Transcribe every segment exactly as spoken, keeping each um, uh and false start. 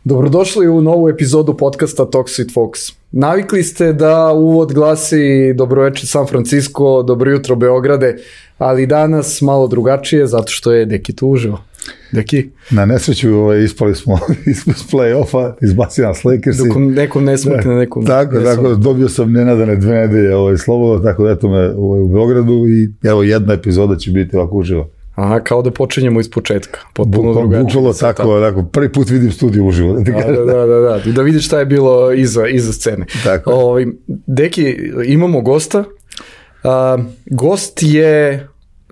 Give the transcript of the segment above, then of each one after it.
Dobrodošli u novu epizodu podcasta Talks with Folks. Navikli ste da uvod glasi dobroveče San Francisco, dobro jutro Beograde, ali danas malo drugačije zato što je Deki tu uživo. Deki? Na nesreću ovaj, ispali smo iz play-offa, izbacio nas Lakersi. Dok nekom ne smrkne, nekom tako, ne tako, dobio sam nenadane dve nedelje ovaj, slobodno, tako da eto me ovaj, u Beogradu i evo jedna epizoda će biti ovako uživo. Aha, kao da počinjemo iz početka, potpuno drugačije. Bukvalo tako, tako, prvi put vidim studiju uživo. Da, da, da, da, da, da vidiš šta je bilo iza, iza scene. Tako. O, Deki, imamo gosta. A, gost je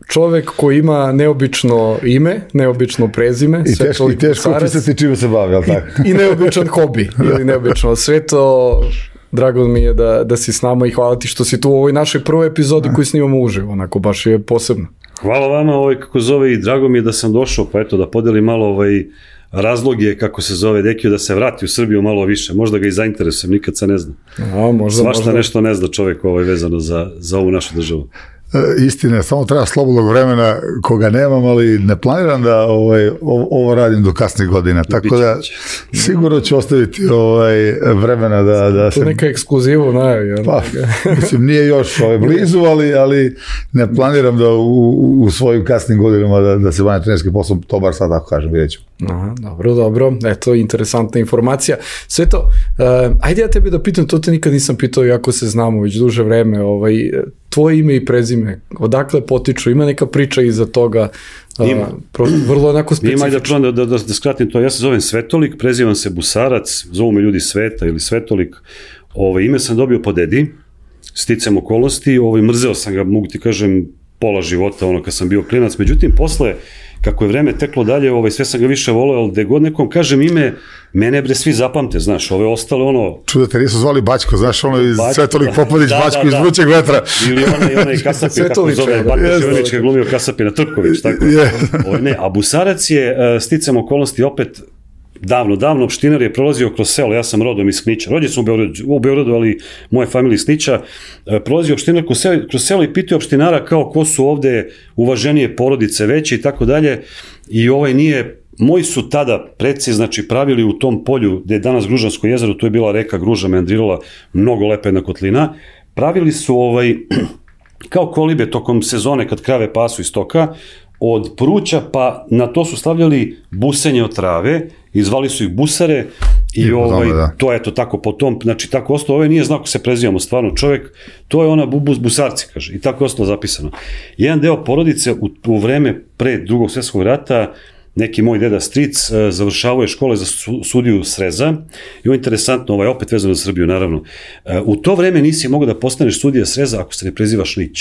čovek koji ima neobično ime, neobično prezime. I teško, i teško opisati čime se bavi, ali tako? I, i neobičan hobi, ili neobično. Sve to, drago mi je da, da si s nama i hvala ti što si tu u ovoj našoj prvoj epizodi koju snimamo uživo, onako baš je posebno. Hvala vama, ovaj, kako zove, i drago mi je da sam došao, pa eto, da podelim malo ovaj, razloge, kako se zove Dekiju, da se vrati u Srbiju malo više, možda ga i zainteresujem, nikad se ne zna. A, možda, Svašta možda. nešto ne zna čovjek ovaj, vezano za, za ovu našu državu. E, istina, samo treba slobodnog vremena koga nemam, ali ne planiram da ovaj, ovo, ovo radim do kasnih godina, tako da sigurno ću ostaviti ovaj, vremena da, da se... To neka ekskluzivu najavi. Pa, mislim, nije još ovaj, blizu, ali, ali ne planiram da u, u svojim kasnim godinama da, da se bavim trenerskim poslom, to bar sad tako kažem, vidjet ću. Aha, dobro, dobro, eto, interesantna informacija. Sve to, uh, ajde ja tebi da pitam, to te nikad nisam pitao, iako se znamo već duže vreme, ovaj, tvoje ime i prezime, odakle potiču, ima neka priča iza toga, ima. Uh, pro, vrlo onako specifično. Ima, da, da, da, da skratim to, ja se zovem Svetolik, prezivam se Busarac, zovu me ljudi Sveta ili Svetolik, ovaj, ime sam dobio po dedi, sticam okolnosti, ovaj, mrzeo sam ga, mogu ti kažem, pola života, ono, kad sam bio klinac, međutim, posle, kako je vreme teklo dalje, ovaj, sve sam ga više voleo, ali gde god nekom kažem ime, mene bre svi zapamte, znaš, ove ostale ono... Čudo te nisu zvali Bačko, znaš, ono iz Svetolik Popadić, da, Bačko da, da, iz Vrućeg vetra. Ili onaj, onaj Kasapin, kako zove, Bačko Čevanić, je glumio Kasapina Trković, tako. Yeah. Ovaj, ne, a Busarac je, sticam okolnosti, opet, davno, davno, opštinar je prolazio kroz selo, ja sam rodom iz Knića, rođen sam u Beogradu, u Beogradu, ali moje familije iz Knića, prolazio opštinar kroz selo, kroz selo i pitao opštinara kao ko su ovde uvaženije porodice veće i tako dalje, i ovaj nije, moji su tada preci, znači pravili u tom polju gde je danas Gružansko jezero, tu je bila reka Gruža, meandrirala, mnogo lepa jedna kotlina, pravili su ovaj, kao kolibe tokom sezone kad krave pasu iz stoka, od pruća, pa na to su stavljali busenje od trave, izvali su ih busare i, I ovaj, da. to je to tako po tom, znači tako ostalo, ovaj nije znao ko se prezivamo stvarno čovjek, to je ona bubus busarci, kaže, i tako je ostalo zapisano. Jedan deo porodice u, u vreme pre drugog svjetskog rata, neki moj deda stric, završavao je škole za sudiju Sreza i ovo je interesantno, ovaj, opet vezano za Srbiju, naravno. U to vreme nisi mogao da postaneš sudija Sreza ako se ne prezivaš Lić.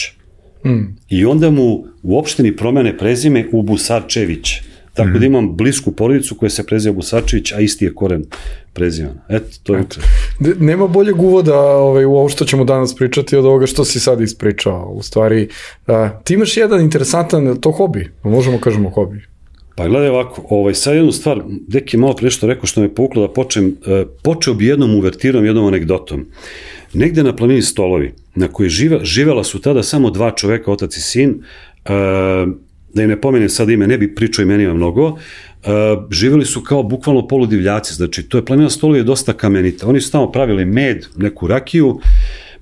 Mm. I onda mu u opštini promene prezime u Busarčević. Tako mm. da imam blisku porodicu koja se preziva Busarčević, a isti je koren prezivan. Eto, to je... Nema boljeg uvoda ovaj, u ovo što ćemo danas pričati od ovoga što si sad ispričao. U stvari, a, ti imaš jedan interesantan, to hobi, možemo kažemo hobi. Pa gledaj ovako, ovaj, sad jednu stvar, Deki malo pre što rekao što me povuklo da počnem, e, počeo bi jednom uvertirom, jednom anegdotom. Negde na planini Stolovi, na kojoj žive, živela su tada samo dva čoveka, otac i sin, e, da im ne pomenem sad ime, ne bi pričao imenima mnogo, e, živeli su kao bukvalno poludivljaci, znači to je planina Stolovi je dosta kamenita, oni su tamo pravili med, neku rakiju.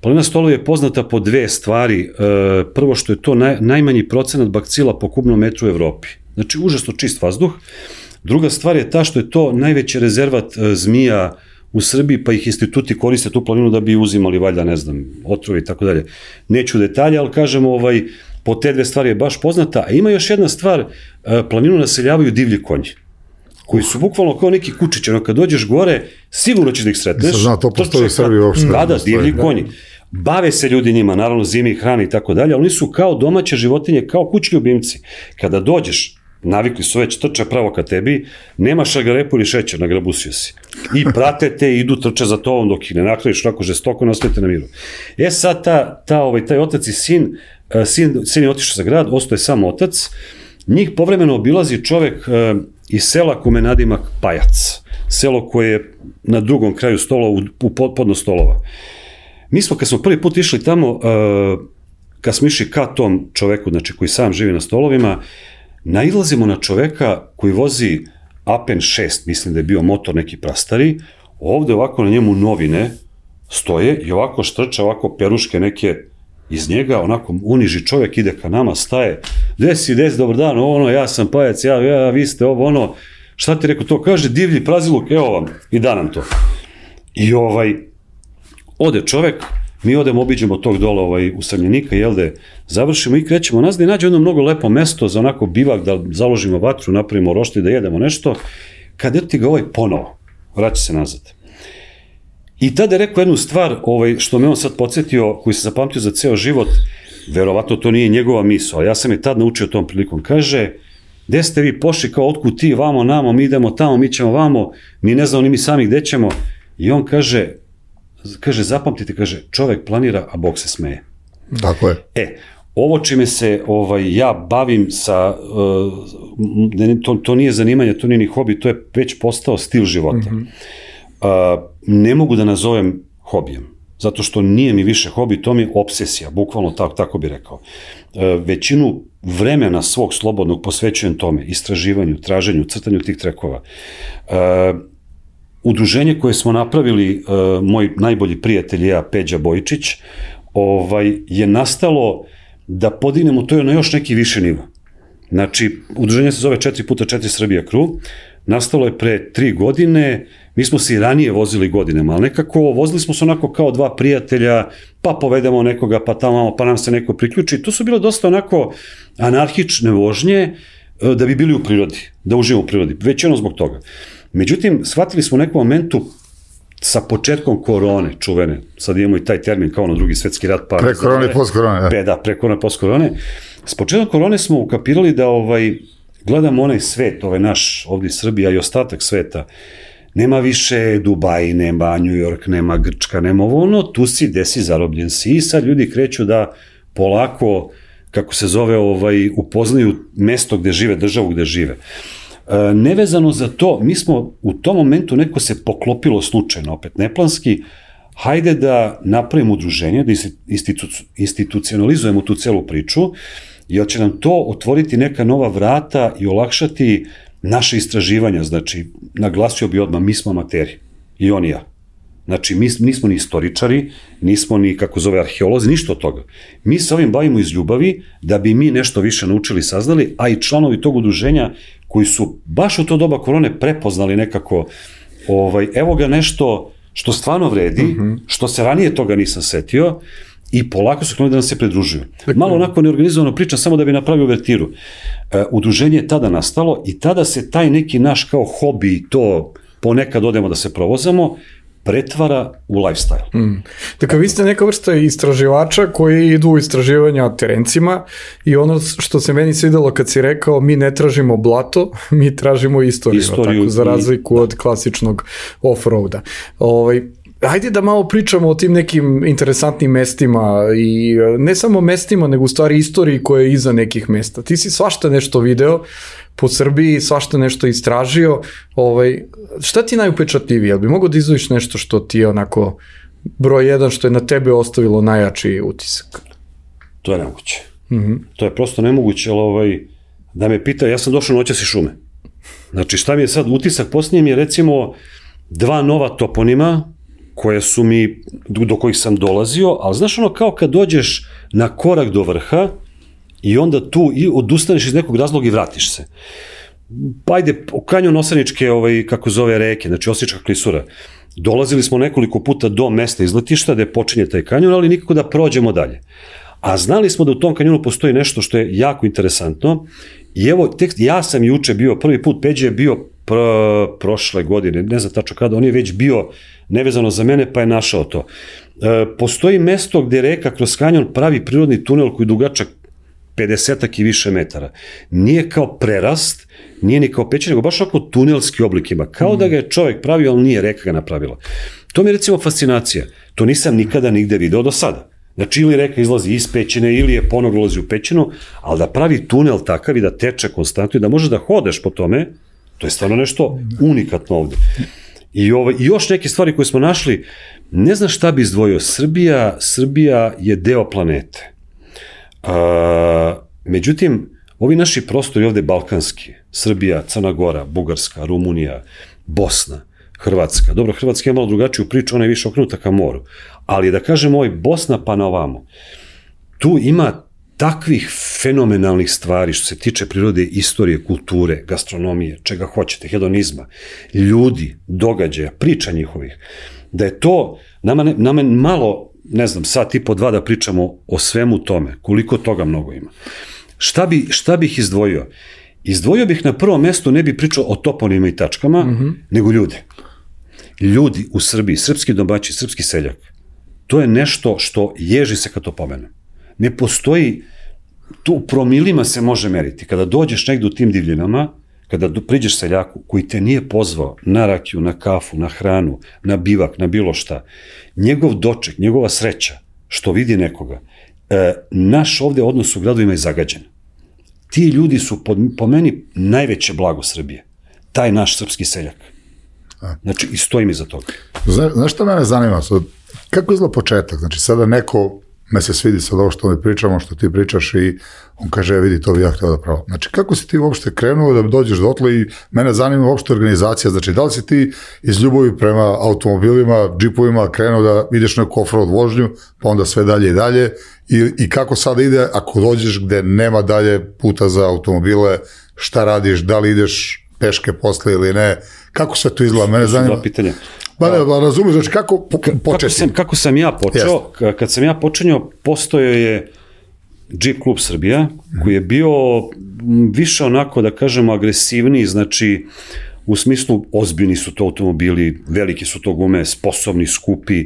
Planina Stolovi je poznata po dve stvari, e, prvo što je to naj, najmanji procenat bakcila po kubnom metru u Evropi, znači užasno čist vazduh. Druga stvar je ta što je to najveći rezervat e, zmija u Srbiji, pa ih instituti koriste tu planinu da bi uzimali, valjda, ne znam, otrove i tako dalje. Neću detalje, ali kažemo, ovaj, po te dve stvari je baš poznata. A ima još jedna stvar, planinu naseljavaju divlji konji, koji su bukvalno kao neki kučići, ono, kad dođeš gore, sigurno ćeš da ih sretneš. Nisam znao, to postoji u Srbiji uopšte. Da, da, divlji konji. Bave se ljudi njima, naravno zimi, hrani i tako dalje, ali oni su kao domaće životinje, kao kućni ljubimci. Kada dođeš, navikli su već, trče pravo ka tebi, nema šargarepu ili šećer, nagrabusio si. I prate te, idu, trče za tobom dok ih ne nakradiš, onako žestoko, ne ostavite na miru. E sad, ta, ta, ovaj, taj otac i sin, sin, sin je otišao za grad, ostao je sam otac, njih povremeno obilazi čovek uh, iz sela kome nadimak Pajac, selo koje je na drugom kraju stolova, u, u podno Stolova. Mi smo, kad smo prvi put išli tamo, uh, kad smo išli ka tom čoveku, znači koji sam živi na Stolovima, nailazimo na čoveka koji vozi Apen šest, mislim da je bio motor neki prastari, ovde ovako na njemu novine stoje i ovako štrča, ovako peruške neke iz njega, onako uniži čovjek, ide ka nama, staje, desi, desi, dobar dan, ono, ja sam pajac, ja, ja, vi ste ovo, ono, šta ti rekao to, kaže, divlji praziluk, evo vam, i da nam to. I ovaj, ode čovjek, mi odemo, obiđemo tog dola ovaj, usamljenika, jel da završimo i krećemo nazad i nađe jedno mnogo lepo mesto za onako bivak, da založimo vatru, napravimo roštilj, da jedemo nešto, kad eto ti ga ovaj ponovo, vraća se nazad. I tada je rekao jednu stvar, ovaj, što me on sad podsjetio, koji se zapamtio za ceo život, verovatno to nije njegova misao, ali ja sam je tad naučio tom prilikom, kaže, gde ste vi pošli, kao otkud ti, vamo, namo, mi idemo tamo, mi ćemo vamo, mi ne znamo ni mi sami gde ćemo, i on kaže, kaže, zapamtite, kaže, čovek planira, a Bog se smeje. Tako je. E, ovo čime se ovaj, ja bavim sa, uh, to, to nije zanimanje, to nije ni hobi, to je već postao stil života. Mm-hmm. Uh, ne mogu da nazovem hobijem, zato što nije mi više hobi, to mi je obsesija, bukvalno tako, tako bi rekao. Uh, većinu vremena svog slobodnog posvećujem tome, istraživanju, traženju, crtanju tih trekova. Uh, Udruženje koje smo napravili, uh, moj najbolji prijatelj i ja, Peđa Bojičić, ovaj, je nastalo da podignemo to na još neki više nivo. Znači, udruženje se zove četiri puta četiri Srbija Crew, nastalo je pre tri godine, mi smo se i ranije vozili godinama, ali nekako vozili smo se onako kao dva prijatelja, pa povedemo nekoga, pa tamo, pa nam se neko priključi. To su bilo dosta onako anarhične vožnje da bi bili u prirodi, da uživamo u prirodi, već jedno zbog toga. Međutim, shvatili smo u nekom momentu sa početkom korone, čuvene, sad imamo i taj termin kao na drugi svetski rat. Pa, pre korone i post korone. Da, da pre korone i post korone. S početkom korone smo ukapirali da ovaj, gledamo onaj svet, ovaj naš, ovdje Srbija i ostatak sveta, nema više Dubai, nema New York, nema Grčka, nema ovo ono, tu si, gde si, zarobljen si i sad ljudi kreću da polako, kako se zove, ovaj, upoznaju mesto gde žive, državu gde žive. E, nevezano za to, mi smo u tom momentu, neko se poklopilo slučajno, opet neplanski, hajde da napravimo udruženje, da institu, institucionalizujemo tu celu priču, jer će nam to otvoriti neka nova vrata i olakšati naše istraživanja. Znači, naglasio bi odmah, mi smo amateri, i on i ja. Znači, mi nismo ni istoričari, nismo ni, kako zove, arheolozi, ništa od toga. Mi se ovim bavimo iz ljubavi, da bi mi nešto više naučili, saznali, a i članovi tog udruženja koji su baš u to doba korone prepoznali nekako, ovaj, evo ga nešto što stvarno vredi, mm-hmm. što se ranije toga nisam setio, i polako su krenuli da nam se pridružuju. Malo onako neorganizovano pričam, samo da bi napravio uvertiru. E, udruženje je tada nastalo i tada se taj neki naš kao hobi, to ponekad odemo da se provozamo, pretvara u lifestyle. Mm. Dakle, vi ste neka vrsta istraživača koji idu u istraživanja terencima i ono što se meni svidelo kad si rekao, mi ne tražimo blato, mi tražimo istoriju, istoriju tako, za razliku i, od klasičnog off-roada. Ovaj, hajde da malo pričamo o tim nekim interesantnim mestima i ne samo mestima, nego u stvari istoriji koja je iza nekih mesta. Ti si svašta nešto video po Srbiji, svašta nešto istražio. Ovaj, šta ti najupečatljivije? Jel bi mogo da izdvojiš nešto što ti je onako broj jedan, što je na tebe ostavilo najjači utisak? To je nemoguće. Mm-hmm. To je prosto nemoguće, ali ovaj, da me pita, ja sam došao noćas iz šume. Znači, šta mi je sad utisak? Posljednje mi je recimo dva nova toponima koje su mi, do kojih sam dolazio, ali znaš ono kao kad dođeš na korak do vrha i onda tu i odustaneš iz nekog razloga i vratiš se. Pa ajde, kanjon Osaničke, ovaj, kako zove reke, znači Osnička klisura. Dolazili smo nekoliko puta do mesta izletišta gde počinje taj kanjon, ali nikako da prođemo dalje. A znali smo da u tom kanjonu postoji nešto što je jako interesantno i evo, tek, ja sam juče bio, prvi put, Peđe je bio pr, prošle godine, ne znam tačno kada, on je već bio nevezano za mene, pa je našao to. E, postoji mesto gde reka kroz kanjon pravi prirodni tunel koji je dugačak pedesetak i više metara. Nije kao prerast, nije ni kao pećina, nego baš ako tunelski oblik ima. Kao da ga je čovek pravio, ali nije reka ga napravila. To mi je recimo fascinacija. To nisam nikada nigde video do sada. Znači, ili reka izlazi iz pećine, ili je ponovo ulazi u pećinu, ali da pravi tunel takav i da teče konstantno i da možeš da hodeš po tome, to je stvarno nešto unikatno ovde. I, ovo, i još neke stvari koje smo našli, ne znam šta bi izdvojio. Srbija, Srbija je deo planete. A, međutim, ovi naši prostori ovde balkanski, Srbija, Crna Gora, Bugarska, Rumunija, Bosna, Hrvatska. Dobro, Hrvatska je malo drugačiju priču, ona je više okrenuta ka moru. Ali da kažemo ovaj Bosna pa na ovamo, tu ima takvih fenomenalnih stvari što se tiče prirode, istorije, kulture, gastronomije, čega hoćete, hedonizma, ljudi, događaja, priča njihovih, da je to, nama, ne, nama malo, ne znam, sat i po dva da pričamo o svemu tome, koliko toga mnogo ima. Šta, bi, šta bih izdvojio? Izdvojio bih na prvom mestu, ne bih pričao o toponima i tačkama, mm-hmm. nego ljude. Ljudi u Srbiji, srpski domaći, srpski seljak, to je nešto što ježi se kad to pomenem. Ne postoji, tu u promilima se može meriti. Kada dođeš negdje u tim divljinama, kada priđeš seljaku koji te nije pozvao na rakiju, na kafu, na hranu, na bivak, na bilo šta, njegov doček, njegova sreća, što vidi nekoga, e, naš ovde odnos u gradovima je zagađen. Ti ljudi su po, po meni najveće blago Srbije. Taj naš srpski seljak. Znači, i stojim iza toga. Zna, znaš šta mene zanima? Sad, kako izgleda početak? Znači, sada neko me se svidi sad ovo što mi pričamo, što ti pričaš i on kaže, vidi, to bi ja htio da pravo. Znači, kako si ti uopšte krenuo da dođeš dotle i mene zanima uopšte organizacija, znači, da li si ti iz ljubavi prema automobilima, džipovima krenuo da ideš neku off-road vožnju, pa onda sve dalje i dalje i, i kako sada ide ako dođeš gde nema dalje puta za automobile, šta radiš, da li ideš peške posle ili ne, kako sve to izgleda, mene zanima. Dva pitanja. Ba ne, ba razumiješ, znači kako po, početi? Kako sam, kako sam ja počeo, yes. Kad sam ja počinio, postojao je Jeep klub Srbija, koji je bio više onako, da kažemo, agresivniji, znači u smislu ozbiljni su to automobili, veliki su to gume, sposobni, skupi,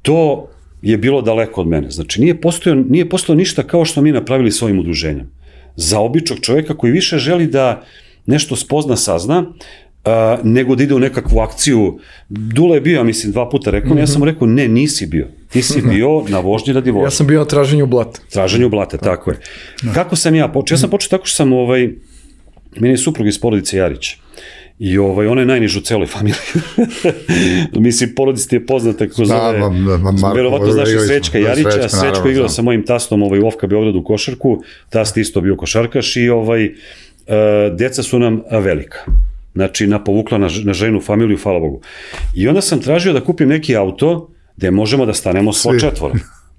to je bilo daleko od mene, znači nije postojao, nije postojao ništa kao što mi napravili s ovim udruženjem. Za običnog čovjeka koji više želi da nešto spozna, sazna, Uh, nego da ide u nekakvu akciju. Dule je bio, ja mislim, dva puta rekao, mm-hmm. ja sam mu rekao, ne, nisi bio. Ti si bio na vožnji radi vožnje. Ja sam bio na traženju blata. Traženju blata, tako, tako je. No. Kako sam ja počeo? Ja sam počeo tako što sam, ovaj, meni je suprug iz porodice Jarić. I ovaj, ona je najniž u celoj familiji. Mislim, porodici ti je poznata kroz da, ove, Marko, verovatno znaš i Srećka Jarića, Srećka, Srećko igrao sa mojim tastom ovaj, u Ofka Beogradu košarku, tast isto bio košarkaš i ovaj, uh, deca su nam velika. Znači, napovukla na, na ženu familiju, hvala Bogu. I onda sam tražio da kupim neki auto gde možemo da stanemo svo četvora.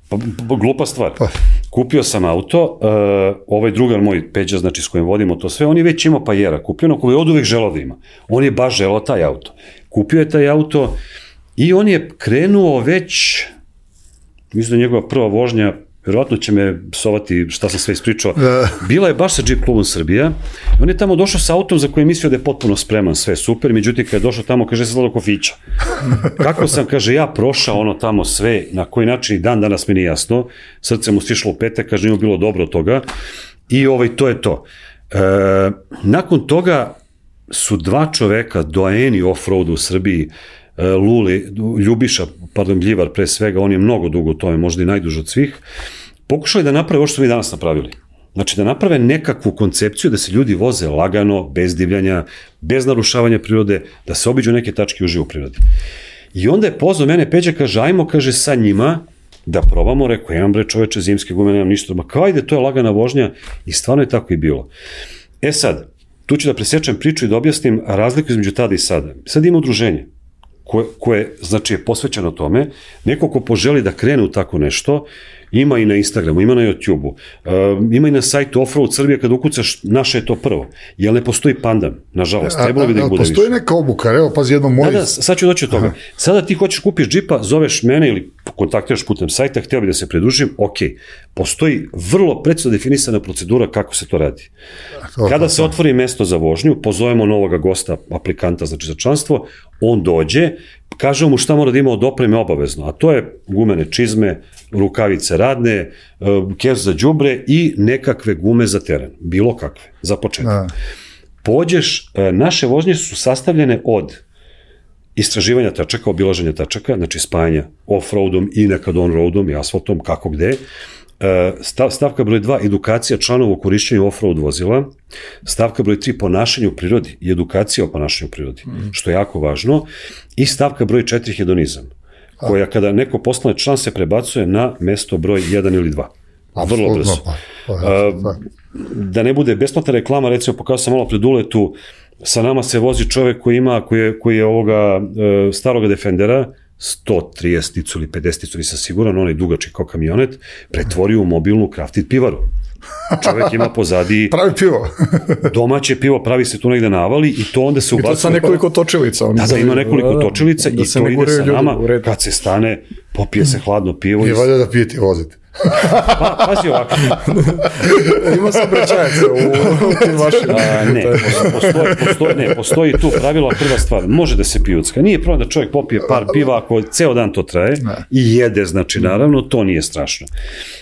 Pa, pa, glupa stvar. Pa. Kupio sam auto, uh, ovaj drugar moj, Peđa, znači s kojim vodimo to sve, on je već imao Pajera, kupio ono koji je od uvek želao da ima. On je baš želao taj auto. Kupio je taj auto i on je krenuo već, mislim da njegova prva vožnja, verovatno će me psovati šta sam sve ispričao, bila je baš sa Jeep klubom Srbija, on je tamo došao sa autom za koje je mislio da je potpuno spreman, sve super, međutim kada je došao tamo, kaže se zlado kofića. Kako sam, kaže, ja prošao ono tamo sve, na koji način i dan danas mi nije jasno, srce mu stišlo u petak, kaže, nije bilo dobro od toga i ovaj, to je to. E, nakon toga su dva čoveka, doajeni off-roadu u Srbiji, Luli, Ljubiša, pardon, Gljivar pre svega, on je mnogo dugo u tome, možda i najduže od svih, pokušali da naprave ovo što smo mi danas napravili. Znači da naprave nekakvu koncepciju da se ljudi voze lagano, bez divljanja, bez narušavanja prirode, da se obiđu neke tačke uživo u prirodi. I onda je pozvao mene Peđa, kaže, ajmo, kaže, sa njima da probamo, rekao, imam bre čoveče zimske gume, nemam ništa, ma kao ide, to je lagana vožnja i stvarno je tako i bilo. E sad, tu ću da presječem priču i da objasnim razliku između tada i sada. Sad ima udruženje koje, koje znači je posvećeno tome, neko ko poželi da krene u tako nešto, ima i na Instagramu, ima na YouTubeu, uh, ima i na sajtu Offroad Srbije, kada ukucaš, naše je to prvo, jer ne postoji pandan, nažalost, trebalo bi da ih bude više. Postoji neka obuka, evo, pazi jedno moje... Da, da, sad ću doći od toga. Aha. Sada ti hoćeš kupiš džipa, zoveš mene ili kontaktiraš putem sajta, htio bi da se pridružim, ok, postoji vrlo precizno definisana procedura kako se to radi. Kada se otvori mesto za vožnju, pozovemo novoga gosta, aplikanta, znači za članstvo, on dođe, kažemo mu šta mora da ima od opreme obavezno, a to je gumene čizme, rukavice radne, keš za đubre i nekakve gume za teren, bilo kakve, za početak. Da. Pođeš, naše vožnje su sastavljene od istraživanja tačaka, obilaženja tačaka, znači spajanja off-roadom i nekad on-roadom i asfaltom, kako gde. Stav, stavka broj dva, edukacija članova o korišćenju off-road vozila. Stavka broj tri, ponašanje u prirodi i edukacija o ponašanju u prirodi, mm. što je jako važno. I stavka broj četiri, hedonizam, koja kada neko postane član se prebacuje na mesto broj jedan ili dva. Vrlo brzo. Pa, pa, A, da ne bude besplatna reklama, recimo pokazao sam malo pred uletu, sa nama se vozi čovek koji ima, koji je, koji je ovoga e, staroga Defendera, sto trideset ili pedeset, nisam siguran, onaj dugački kao kamionet, pretvorio u mobilnu crafted pivaru. Čovek ima pozadi pravi pivo. domaće pivo, pravi se tu negde navali i to onda se ubacuje. I to sa nekoliko točilica. Da, da, ima nekoliko točilica da, i to ide sa nama, kad se stane, popije se hladno pivo. Nije valjda da pijete i vozite. Pa, pazi ovako. Ima se obraćajaca u, u tim vašim. A, ne, postoji, postoji, ne, postoji tu pravilo, prva stvar, može da se pijucka. Nije problem da čovjek popije par piva, ako ceo dan to traje i jede, znači naravno, to nije strašno.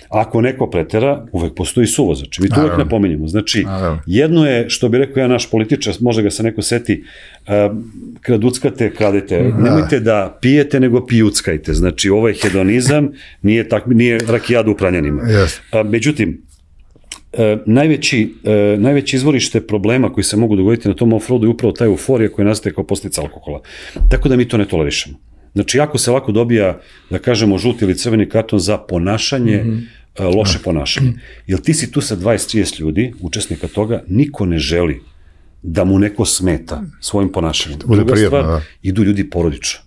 Ako neko pretera, uvek postoji suvozač. Mi to uvek napominjemo. Znači, jedno je, što bi rekao ja naš političar, može ga se neko seti, uh, kraduckate, kradete. Nemojte da pijete, nego pijuckajte. Znači, ovo je hedonizam, nije, tak, nije rakijada u Pranjanima. Yes. Uh, međutim, uh, najveći, uh, najveći izvorište problema koji se mogu dogoditi na tom offroadu je upravo ta euforija koja nastaje kao posljedica alkohola. Tako da mi to ne tolerišemo. Znači, jako se lako dobija, da kažemo, žuti ili crveni karton za ponašanje, mm-hmm. loše ponašanje. Jer ti si tu sa dvadeset trideset ljudi, učesnika toga, niko ne želi da mu neko smeta svojim ponašanjem. Druga stvar, da. Idu ljudi porodično.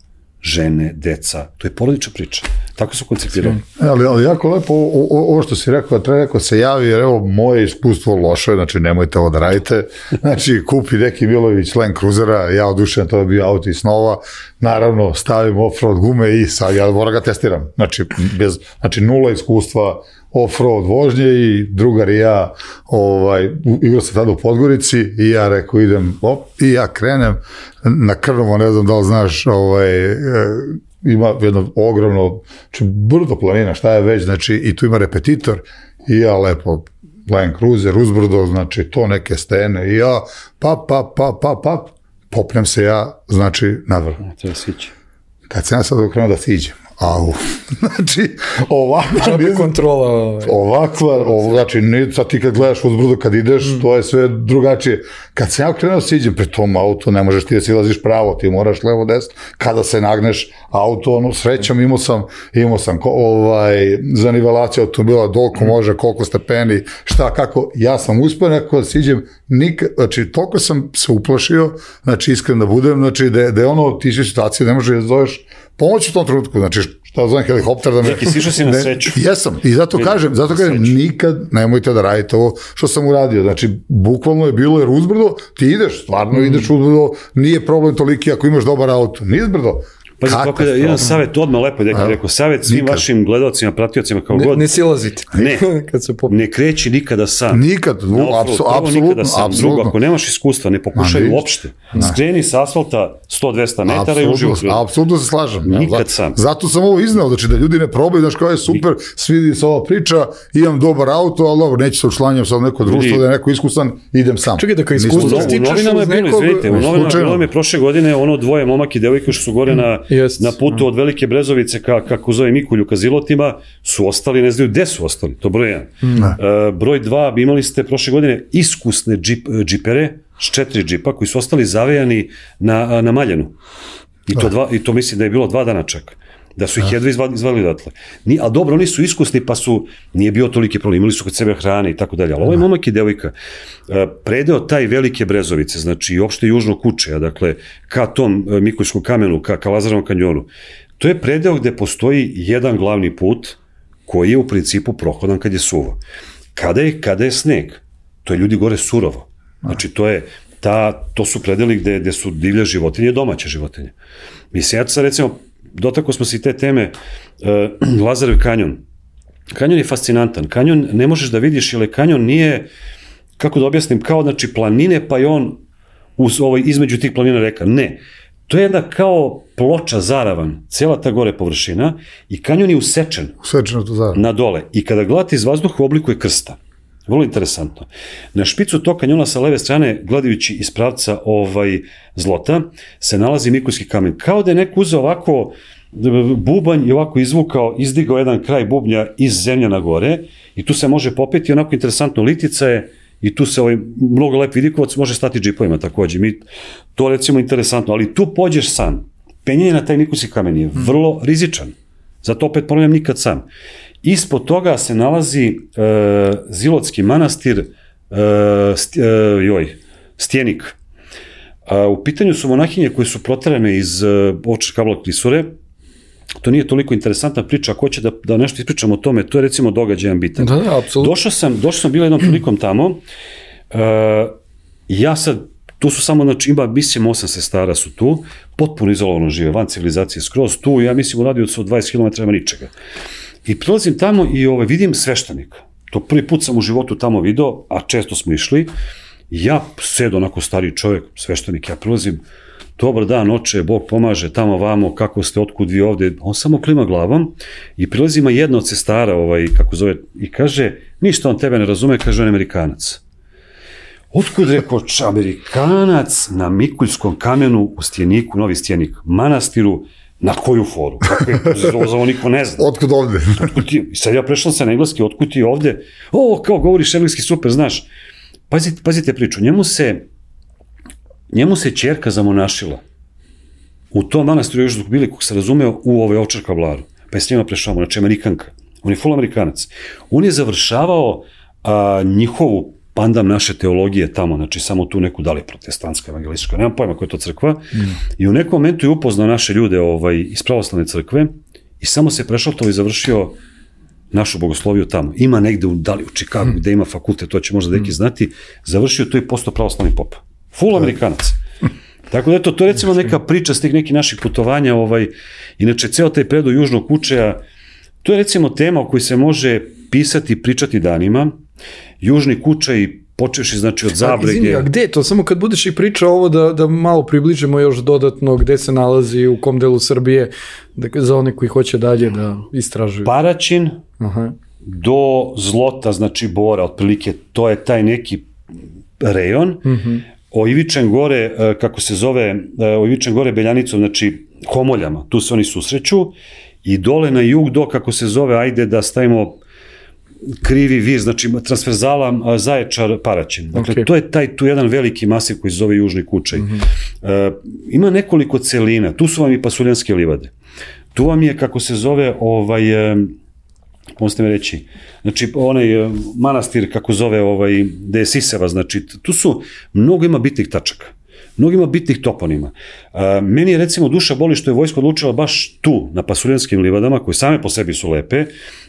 Žene, deca, to je porodična priča. Tako su koncipirali. Ali, ali jako lepo, o, o, ovo što si rekao, treba neko se javi, jer evo, moje iskustvo loše, znači nemojte ovo da radite. Znači, kupi neki Milović Land Cruisera, ja odušen, to je bio auto iz snova, naravno, stavim off-road gume i sad ja moram ga testiram. Znači, bez, znači nula iskustva off-road vožnje i drugar i ja, ovaj, igrao sam tada u Podgorici i ja rekao idem, op, i ja krenem na Krnovo, ne znam da li znaš, ovaj, ima jedno ogromno, znači brdo planina, šta je već, znači i tu ima repetitor i ja lepo Land Cruiser, uzbrdo, znači to neke stene i ja, pa, pa, pa, pa, pa, popnem se ja, znači navrh. Treba sići. Kad sam ja sad okrenuo da siđem, au, znači, ovakva, kontrola, ovakva, ovo, znači, ne, sad ti kad gledaš uzbrdo, kad ideš, mm. to je sve drugačije. Kad sam ja krenuo siđem pred tom auto, ne možeš ti da silaziš pravo, ti moraš levo desno, kada se nagneš auto, ono, srećom, imao sam, imao sam, ko, ovaj, za nivelaciju automobila, doliko može, koliko stepeni, šta, kako, ja sam uspio nekako da siđem, nikad, znači, toliko sam se uplašio, znači, iskren da budem, znači, da, da je ono, ti si situacije, ne možeš da zoveš pomoć u tom trenutku, znači šta zovem helikopter da me... Neki sišao si na sreću. Jesam, i zato kažem, zato kažem, nikad nemojte da radite ovo što sam uradio, znači bukvalno je bilo jer uzbrdo, ti ideš, stvarno mm. ideš uzbrdo, nije problem toliki ako imaš dobar auto, nije uzbrdo. Pazi, kako je jedan savjet, odmah lepo je rekao, savjet svim nikad. Vašim gledalcima, pratiocima, kao ne, god. Ne silazite. Ne, Kad se pop... ne kreći nikada sam. Nikad, apsolutno. Drugo, ako nemaš iskustva, ne pokušaj uopšte. Skreni s asfalta sto do dvesta metara i uživo. Apsolutno se slažem. Nikad sam. Zato sam ovo iznao, znači da ljudi ne probaju, znaš kao je super, svidi se ova priča, imam dobar auto, ali dobro, neću se učlanjam sad neko društvo, da je neko iskusan, idem sam. Čekaj, da kao iskustvo stičeš uz nekog... U novinama je bilo, u novinama je prošle godine ono dvoje momak i devojke što su gore na putu od Velike Brezovice ka, kako zove Mikulju ka Zilotima, su ostali, ne znaju gde su ostali, to broj jedan. Mm. Uh, broj dva, imali ste prošle godine iskusne džip, džipere, s četiri džipa, koji su ostali zavejani na, na Maljanu. I to, dva, I to mislim da je bilo dva dana čak. Da su ih jedva izvali odatle. Ni, a dobro, oni su iskusni, pa su, nije bio toliki problem, imali su kod sebe hrane i tako dalje. Ali ovaj momak i devojka, predeo taj Velike Brezovice, znači i opšte južno Kučeja, dakle, ka tom Mikuljskom kamenu, ka, ka Lazarevom kanjonu, to je predeo gde postoji jedan glavni put koji je u principu prohodan kad je suvo. Kada je, kada je sneg, to je ljudi gore surovo. Znači, to je ta, to su predeli gde, gde su divlje životinje i domaće životinje. Mislim, ja sad recimo, dotako smo se i te teme, uh, Lazarev kanjon. Kanjon je fascinantan. Kanjon ne možeš da vidiš, jer kanjon nije, kako da objasnim, kao znači planine, pa je on uz, ovaj, između tih planina reka. Ne. To je jedna kao ploča, zaravan, cela ta gore površina i kanjon je usečen. Usečeno to zaravan. Na dole. I kada gledate iz vazduha u obliku je krsta. Vrlo interesantno. Na špicu tog kanjona sa leve strane, gledajući iz pravca ovaj, Zlota, se nalazi Mikuljski kamen. Kao da je neko uzeo ovako bubanj i ovako izvukao, izdigao jedan kraj bubnja iz zemlja na gore i tu se može popeti onako interesantno litica je i tu se ovaj mnogo lep vidikovac može stati džipovima takođe. Mi, to recimo interesantno, ali tu pođeš sam. Penjanje na taj Mikuljski kamen je vrlo rizičan. Zato opet ponavljam nikad sam. Ispod toga se nalazi uh, Zilotski manastir, uh, st, uh, joj, Stjenik. Uh, u pitanju su monahinje koje su proterane iz uh, Ovčar Kabla klisure. To nije toliko interesantna priča, ako hoće da, da nešto ispričam o tome, to je recimo događajan bitan. Da, da, apsolutno. Došao sam, došao sam bilo jednom prilikom tamo, uh, ja sad, tu su samo, znači ima, mislim, osam sestara su tu, potpuno izolovano žive, van civilizacije skroz tu, ja mislim u radiju od dvadeset kilometara nema ničega. I prilazim tamo i ovaj, vidim sveštenika. To prvi put sam u životu tamo video, a često smo išli. Ja sedo onako stariji čovjek, sveštenik, ja prilazim, dobar dan, oče, Bog pomaže, tamo vamo, kako ste, otkud vi ovde, on samo klima glavom i prilazi ima jedna od sestara, ovaj, kako zove, i kaže, ništa on tebe ne razume, kaže on Amerikanac. Otkud rekao, Amerikanac na Mikuljskom kamenu u Stjeniku, Novi Stjenik, manastiru, na koju foru? Kako je, ovo niko ne zna. Otkud ovde? Otkud ti? I sad ja prešao sam na engleski, otkud ti ovde? O, kao govoriš engleski, super, znaš. Pazite, pazite priču, njemu se, njemu se ćerka zamonašila. U tom manastiru još dok bili, kog se razumeo, u ovoj Ovčar Kablaru. Pa je s njima prešao, znači Amerikanka. On je full Amerikanac. On je završavao a, njihovu pandam naše teologije tamo, znači samo tu neku da li protestantska, evangelistička, nemam pojma koja je to crkva, mm. i u nekom momentu je upoznao naše ljude ovaj, iz pravoslavne crkve i samo se prešaltao i završio našu bogosloviju tamo. Ima negde u, da li u Čikagu, mm. gde ima fakultet, to će možda neki znati, završio to i postao pravoslavni pop. Full Amerikanac. Tako da eto, to je recimo neka priča s tih nekih naših putovanja, ovaj, inače ceo taj predoj Južnog Kučeja, to je recimo tema o kojoj se može pisati i pričati danima. Južni Kučaj, počevši znači od Zabrege. Izvini, a gde je to? Samo kad budeš i pričao ovo da, da malo približimo još dodatno gde se nalazi, u kom delu Srbije, da, za one koji hoće dalje da istražuju. Paraćin, aha, do Zlota, znači Bora, otprilike, to je taj neki rejon. Mm-hmm. O Ivičan gore, kako se zove, o Ivičan gore Beljanicom, znači Homoljama, tu se oni susreću, i dole na jug do, kako se zove, ajde da stavimo Krivi Vir, znači transverzala Zaječar Paraćin. Dakle, okay. to je taj tu jedan veliki masiv koji se zove Južni Kučaj. Mm-hmm. E, ima nekoliko celina, tu su vam i Pasuljanske livade. Tu vam je, kako se zove, ovaj, e, možete me reći, znači onaj e, manastir, kako zove, ovaj, gde je Siseva, znači tu su, mnogo ima bitnih tačaka. Mnogo ima bitnih toponima. E, meni je recimo duša boli što je vojska odlučila baš tu, na Pasuljanskim livadama, koje same po sebi su lepe.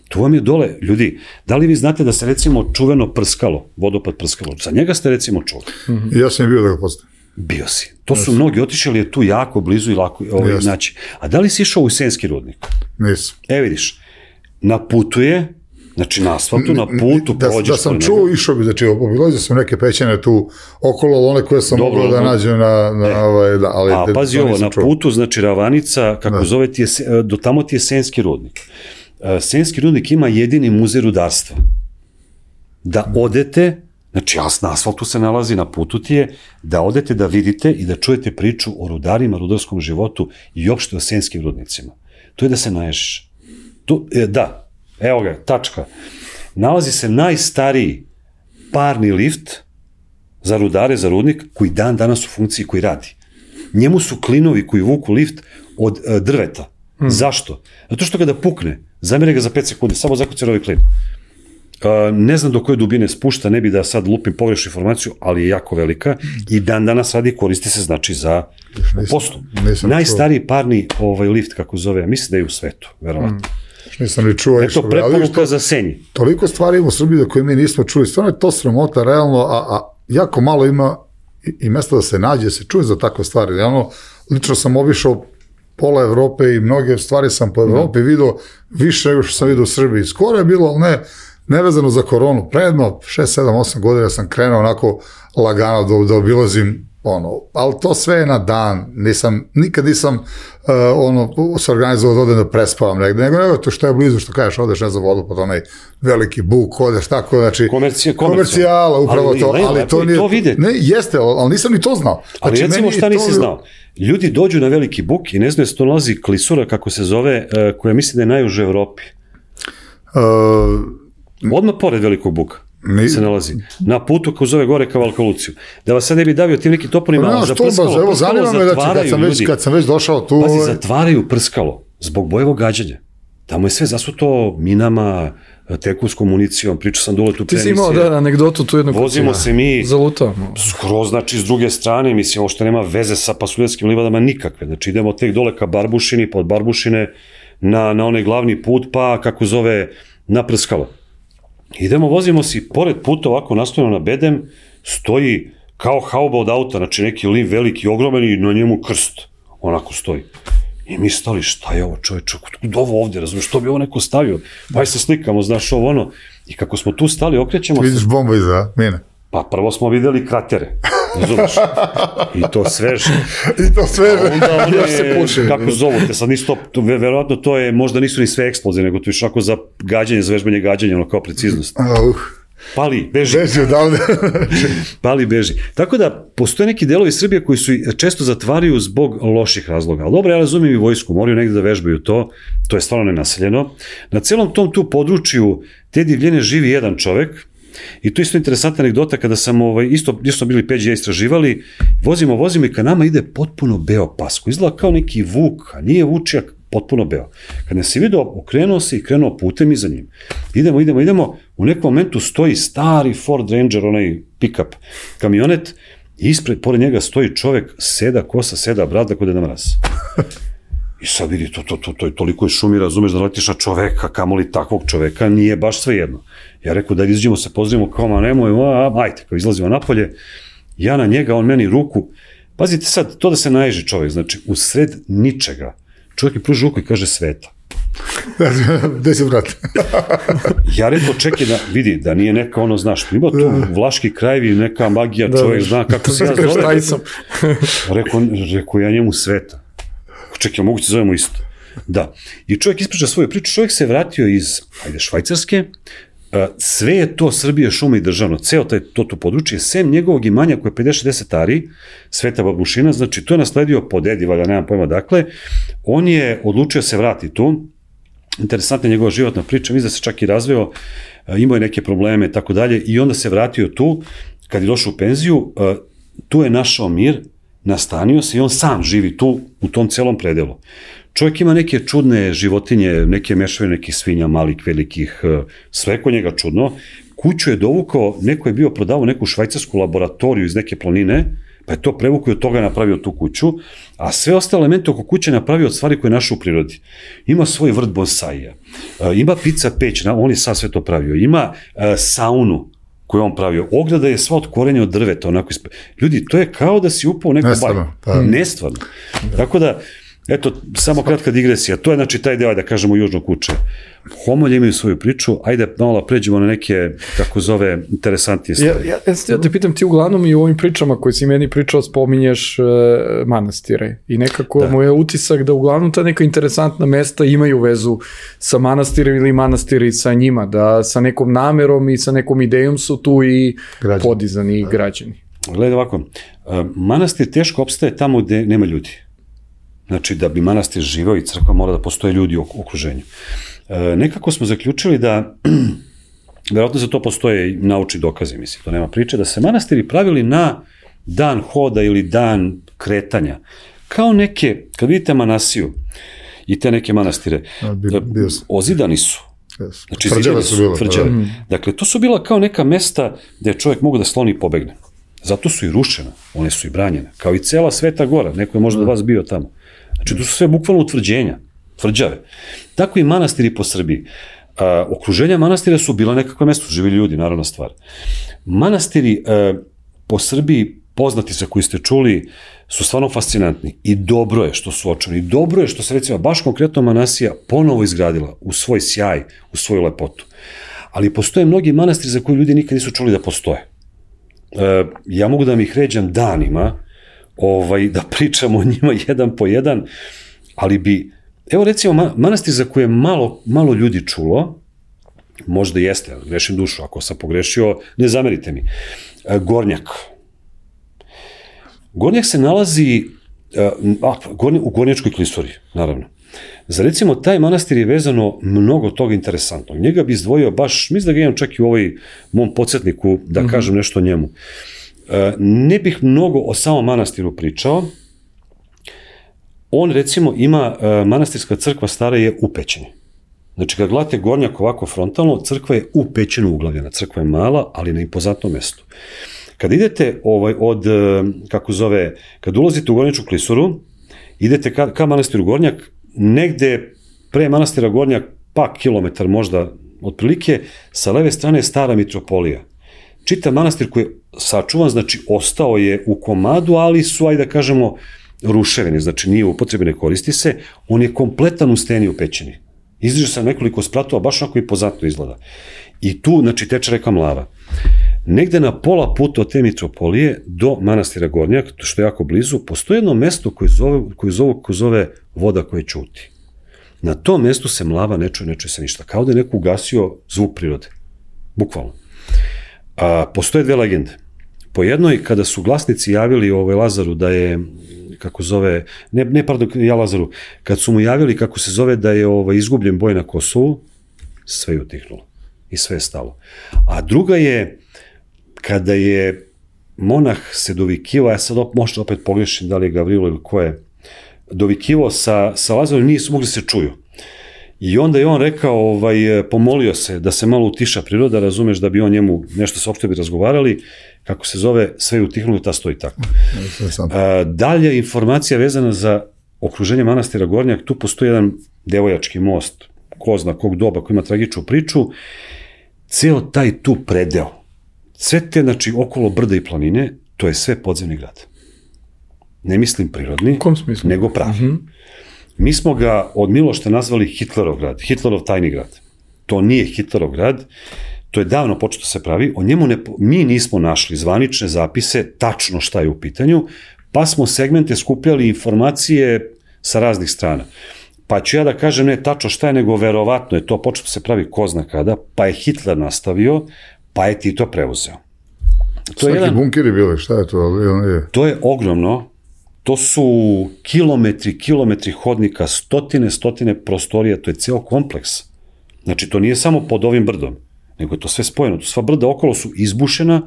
Tu vam je dole, ljudi, da li vi znate da se recimo čuveno Prskalo, vodopad Prskalo, za njega ste recimo čuli? Mm-hmm. Ja sam bio da ga postavim. Bio si. To su yes. mnogi otišli, je tu jako blizu i lako ovaj, yes. znači. A da li si išao u Senski rudnik? Nisam. E vidiš, na putu je, znači na asfaltu, na putu da, prođeš. Da sam čuo, išao bi, znači obilazio sam neke pećine tu okolo, one koje sam mogao da nađem na, na e. ovaj, da, ali... A pazi ovo, na čuo. Putu, znači Ravanica, kako da. zove ti je, do tamo ti je Senski rudnik. Senski rudnik ima jedini muzej rudarstva. Da odete, znači na asfaltu se nalazi, na putu ti je, da odete da vidite i da čujete priču o rudarima, rudarskom životu i uopšte o Senskim rudnicima. To je da se naježiš. Tu, da, evo ga, tačka. Nalazi se najstariji parni lift za rudare, za rudnik, koji dan danas u funkciji, koji radi. Njemu su klinovi koji vuku lift od uh, drveta. Hmm. Zašto? Zato što kada pukne, zamire ga za pet sekundi, samo zakucaj ovaj klin. Uh, ne znam do koje dubine spušta, ne bi da sad lupim pogrešnu informaciju, ali je jako velika i dan danas radi, koristi se znači za poslu. Najstariji parni ovaj, lift, kako zove, mislim da je u svetu, verovatno. Hmm. Nisam li čuo. Eto, preporuka za Senji. Toliko stvari ima u Srbiji da koje mi nismo čuli, stvarno je to sramota, realno, a, a jako malo ima i, i mesta da se nađe, da se čuje za takve stvari. Realno, lično sam obišao pola Evrope i mnoge stvari sam po Evropi mm. vidio više nego što sam vidio u Srbiji. Skoro je bilo, ali ne, nevezano za koronu. Predno, šest, sedam, osam godina sam krenuo onako lagano da, da obilazim, ono, ali to sve je na dan. Nisam, nikad nisam uh, ono, se organizovao da odem da prespavam negde, nego nego to što je blizu, što kažeš, odeš ne za vodu, pod onaj veliki buk, odeš tako, znači, Komercija, komercijala, upravo ali, to, ne, ali to nije, to vidjeti. Ne, jeste, ali nisam ni to znao. Ali znači, recimo šta nisi to... znao? Ljudi dođu na veliki buk i ne znaju da se to nalazi klisura, kako se zove, koja misli da je najuže u Evropi. Uh, Odmah pored velikog buka. Ni... se nalazi. Na putu ko zove gore ka Valkaluciju. Da vas sad ne bi davio tim nekim toponima, no, ali za prskalo, evo, prskalo zatvaraju kad sam ljudi. Već, kad sam već došao tu... Pazi, zatvaraju prskalo zbog bojevog gađanja. tamo je sve zasuto minama, tekuskom municijom, pričao sam dole tu Ti si imao, da, anegdotu tu jednog. Vozimo se mi zalutao. skroz, znači, s druge strane, mislim, ovo što nema veze sa Pasuljevskim livadama nikakve, znači, idemo tek dole ka Barbušini, pod Barbušine, na, na onaj glavni put, pa, kako zove, na Prskalo. Idemo, vozimo se i pored puta, ovako nastavljeno na bedem, stoji kao hauba od auta, znači, neki liv veliki, ogroman i na njemu krst, onako stoji. I mi stali, šta je ovo čoveče, kod ovo ovdje, razumiješ, što bi ovo neko stavio? Pa se slikamo, znaš, ovo ono. I kako smo tu stali, okrećemo se... Vidiš bomba iza, mine. Pa prvo smo videli kratere, razumiješ? I to sveže. I to sveže. A onda one, se puši, kako zovu te, sad nisu to, verovatno to je, možda nisu ni sve eksplozije, nego to je šako za gađanje, za vežbanje gađanja, ono kao preciznost. Uh. Pali, beži. Beži odavde. Pali, beži. Tako da, postoje neki delovi Srbije koji su često zatvaraju zbog loših razloga. Ali dobro, ja razumijem i vojsku, moraju negde da vežbaju to, to je stvarno nenaseljeno. Na celom tom tu području te divljene živi jedan čovek, i to je isto interesantna anegdota, kada sam, ovaj, isto, isto smo bili Peđi ja istraživali, vozimo, vozimo i ka nama ide potpuno beo pas, koji izgleda kao neki vuk, a nije vučijak, potpuno beo. Kad nas je vidio, okrenuo se i krenuo putem iza njim. Idemo, idemo, idemo, u nekom momentu stoji stari Ford Ranger, onaj pick-up kamionet, i ispred, pored njega stoji čovek, seda kosa, seda brada, kod je na mraz. I sad vidi, to, to, to, to je toliko je šumi, razumeš, da letiš na čoveka, kamoli takvog čoveka, nije baš sve jedno. Ja rekao da izađemo se, pozdravimo, kao ma nemoj, a, ajte, kao izlazimo napolje, ja na njega, on meni ruku, pazite sad, to da se naježi čovek, znači, u sred ničega, čovjek mi pruži ruku i kaže Sveta. Gde si, brat? Ja rekao, čekaj da vidi, da nije neka ono, znaš, ima tu vlaški krajevi, neka magija, čovjek zna kako se ja zove. Rekao, rekao ja njemu Sveta. Čekaj, moguće se zovemo isto. Da. I čovjek ispriča svoju priču, čovjek se vratio iz, ajde, Švajcarske, sve je to Srbije, šuma i državno, ceo taj, to to područje, sem njegovog imanja koje je pedeset šezdeset ari, Sveta Babušina, znači to je nasledio po dedi, valjda, nemam pojma dakle, on je odlučio se vrati tu, interesantna je njegova životna priča, mislim da se čak i razveo, imao je neke probleme, tako dalje, i onda se vratio tu, kad je došao u penziju, tu je našao mir, nastanio se i on sam živi tu, u tom celom predelu. Čovjek ima neke čudne životinje, neke mešavine, nekih svinja, malih, velikih, sve kod njega čudno. Kuću je dovukao, neko je bio prodavao neku švajcarsku laboratoriju iz neke planine, pa je to prevukao i od toga napravio tu kuću, a sve ostale elemente oko kuće napravio od stvari koje je našao u prirodi. Ima svoj vrt bonsaija, ima pizza peć, on je sad sve to pravio, ima saunu koju on pravio, ograda je sva od korenja od drveta, onako isp... Ljudi, to je kao da si upao u neku baju. Pa... Nestvarno. Da. Tako da, eto, samo kratka digresija, to je znači taj deo, da kažemo, južno kuće. Homolje imaju svoju priču, ajde malo pređemo na neke, kako zove, interesantije stvari. Ja, ja, ja te pitam, ti uglavnom i u ovim pričama koje si meni pričao spominješ uh, manastire i nekako da. Moj je utisak da uglavnom ta neka interesantna mesta imaju vezu sa manastirem ili manastiri sa njima, da sa nekom namerom i sa nekom idejom su tu i građani. Podizani i građani. Gledaj ovako, uh, manastir teško opstaje tamo gde nema ljudi. Znači, da bi manastir živeo i crkva mora da postoje ljudi u okruženju. E, nekako smo zaključili da, verovatno za to postoje naučni dokazi, mislim, to nema priče, da se manastiri pravili na dan hoda ili dan kretanja. Kao neke, kad vidite Manasiju i te neke manastire, ozidani su. Znači, tvrđave su bila. Tvrđave. Dakle, to su bila kao neka mesta gde čovjek mogu da sloni i pobegne. Zato su i rušene, one su i branjene, kao i cela Sveta Gora, neko je možda od vas bio tamo. Znači, to su sve bukvalno utvrđenja, tvrđave. Tako i manastiri po Srbiji. A, okruženja manastira su bila nekakva mesta, živili ljudi, naravna stvar. Manastiri a, po Srbiji, poznati sa koji ste čuli, su stvarno fascinantni. I dobro je što su očani. I dobro je što se, recimo, baš konkretno Manasija ponovo izgradila u svoj sjaj, u svoju lepotu. Ali postoje mnogi manastiri za koje ljudi nikad nisu čuli da postoje. A, ja mogu da mi ih ređam danima, ovaj, da pričamo o njima jedan po jedan, ali bi, evo recimo, manastir za koje je malo, malo ljudi čulo, možda jeste, grešim dušu, ako sam pogrešio, ne zamerite mi, Gornjak. Gornjak se nalazi a, u Gornjačkoj klisuri, naravno. Za recimo, taj manastir je vezano mnogo toga interesantnog. Njega bi izdvojio baš, mislim da ga imam čak i u ovoj mom podsjetniku, da mm-hmm. kažem nešto o njemu. Ne bih mnogo o samom manastiru pričao. On, recimo, ima, manastirska crkva stara je u Pećini. Znači, kad gledate Gornjak ovako frontalno, crkva je u pećinu uglavljena. Crkva je mala, ali na impozantnom mestu. Kad idete ovaj, od, kako zove, kad ulazite u Gornjačku klisuru, idete ka, ka manastiru Gornjak, negde pre manastira Gornjak, pa kilometar možda otprilike, sa leve strane je stara mitropolija. Čitav manastir koji je sačuvan, znači ostao je u komadu, ali su, ajde da kažemo, ruševine, znači nije upotrebi, ne koristi se, on je kompletan u steni u pećini. Izdiže se nekoliko spratova, baš onako impozantno izgleda. I tu, znači, teče reka Mlava. Negde na pola puta od te mitropolije do manastira Gornjak, što je jako blizu, postoji jedno mesto koje zove, koje zove, koje zove voda koja ćuti. Na tom mestu se Mlava ne čuje, ne čuje se ništa. Kao da je neko ugasio zvuk prirode. Bukvalno. A, postoje dve legende. Po jednoj, kada su glasnici javili ovaj Lazaru da je, kako zove, ne, ne pardon, ja Lazaru, kad su mu javili kako se zove da je ovaj, izgubljen boj na Kosovu, sve je utihnulo i sve je stalo. A druga je, kada je monah se dovikivao, ja sad op, možda opet pogrešim da li je Gavrilo ili ko je, dovikivao sa, sa Lazarom, nisu mogli se čuju. I onda je on rekao, ovaj, pomolio se da se malo utiša priroda, razumeš, da bi on njemu nešto saopštio bi razgovarali, kako se zove, sve je utihnulo i ta stoji tako. A, dalje informacija vezana za okruženje manastira Gornjak, tu postoji jedan devojački most, ko zna kog doba, koji ima tragičnu priču, ceo taj tu predeo, sve te, znači, okolo brda i planine, to je sve podzemni grad. Ne mislim prirodni, nego pravi. Uh-huh. Mi smo ga od Milošta nazvali Hitlerov grad, Hitlerov tajni grad. To nije Hitlerov grad, to je davno početo se pravi, o njemu ne, mi nismo našli zvanične zapise, tačno šta je u pitanju, pa smo segmente skupljali informacije sa raznih strana. Pa ću ja da kažem ne tačno šta je, nego verovatno je to početo se pravi ko zna kada, pa je Hitler nastavio, pa je Tito preuzeo. To Svaki jedan, bunkeri bili, šta je to? Je... To je ogromno. To su kilometri, kilometri hodnika, stotine, stotine prostorija, to je ceo kompleks. Znači, to nije samo pod ovim brdom, nego je to sve spojeno. To sva brda okolo su izbušena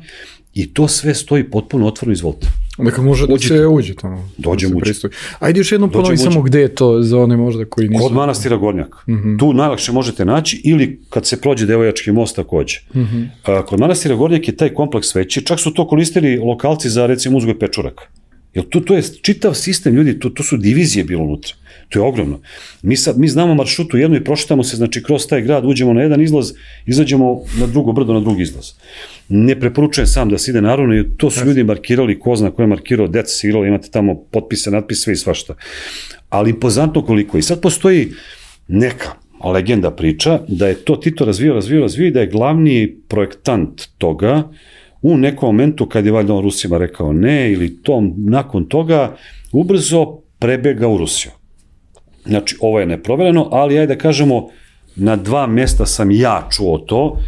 i to sve stoji potpuno otvoreno, izvolite. Dakle, može da se uđe tamo. Dođem uđe. Ajde još jednom ponovi samo gde je to za one možda koji nisu... Kod manastira Gornjak. Mm-hmm. Tu najlakše možete naći ili kad se prođe Devojački most takođe. Mm-hmm. Kod manastira Gornjak je taj kompleks veći, čak su to koristili lokalci za, recimo, uzgoj pečuraka. Jer tu, tu je čitav sistem, ljudi, tu, tu su divizije bilo unutra. To je ogromno. Mi, sad, mi znamo maršrutu jednu i prošetamo se, znači, kroz taj grad, uđemo na jedan izlaz, izađemo na drugo brdo, na drugi izlaz. Ne preporučujem sam da se ide naravno, jer to su ljudi markirali, ko zna ko je markirao, deca se igrala, imate tamo potpise, natpise, sve i svašta. Ali impozantno koliko. I sad postoji neka legenda priča da je to Tito razvio, razvio, razvio i da je glavni projektant toga u nekom momentu kad je valjda on Rusima rekao ne ili tom, nakon toga ubrzo prebega u Rusiju. Znači, ovo je neprovereno, ali ajde da kažemo, na dva mjesta sam ja čuo to,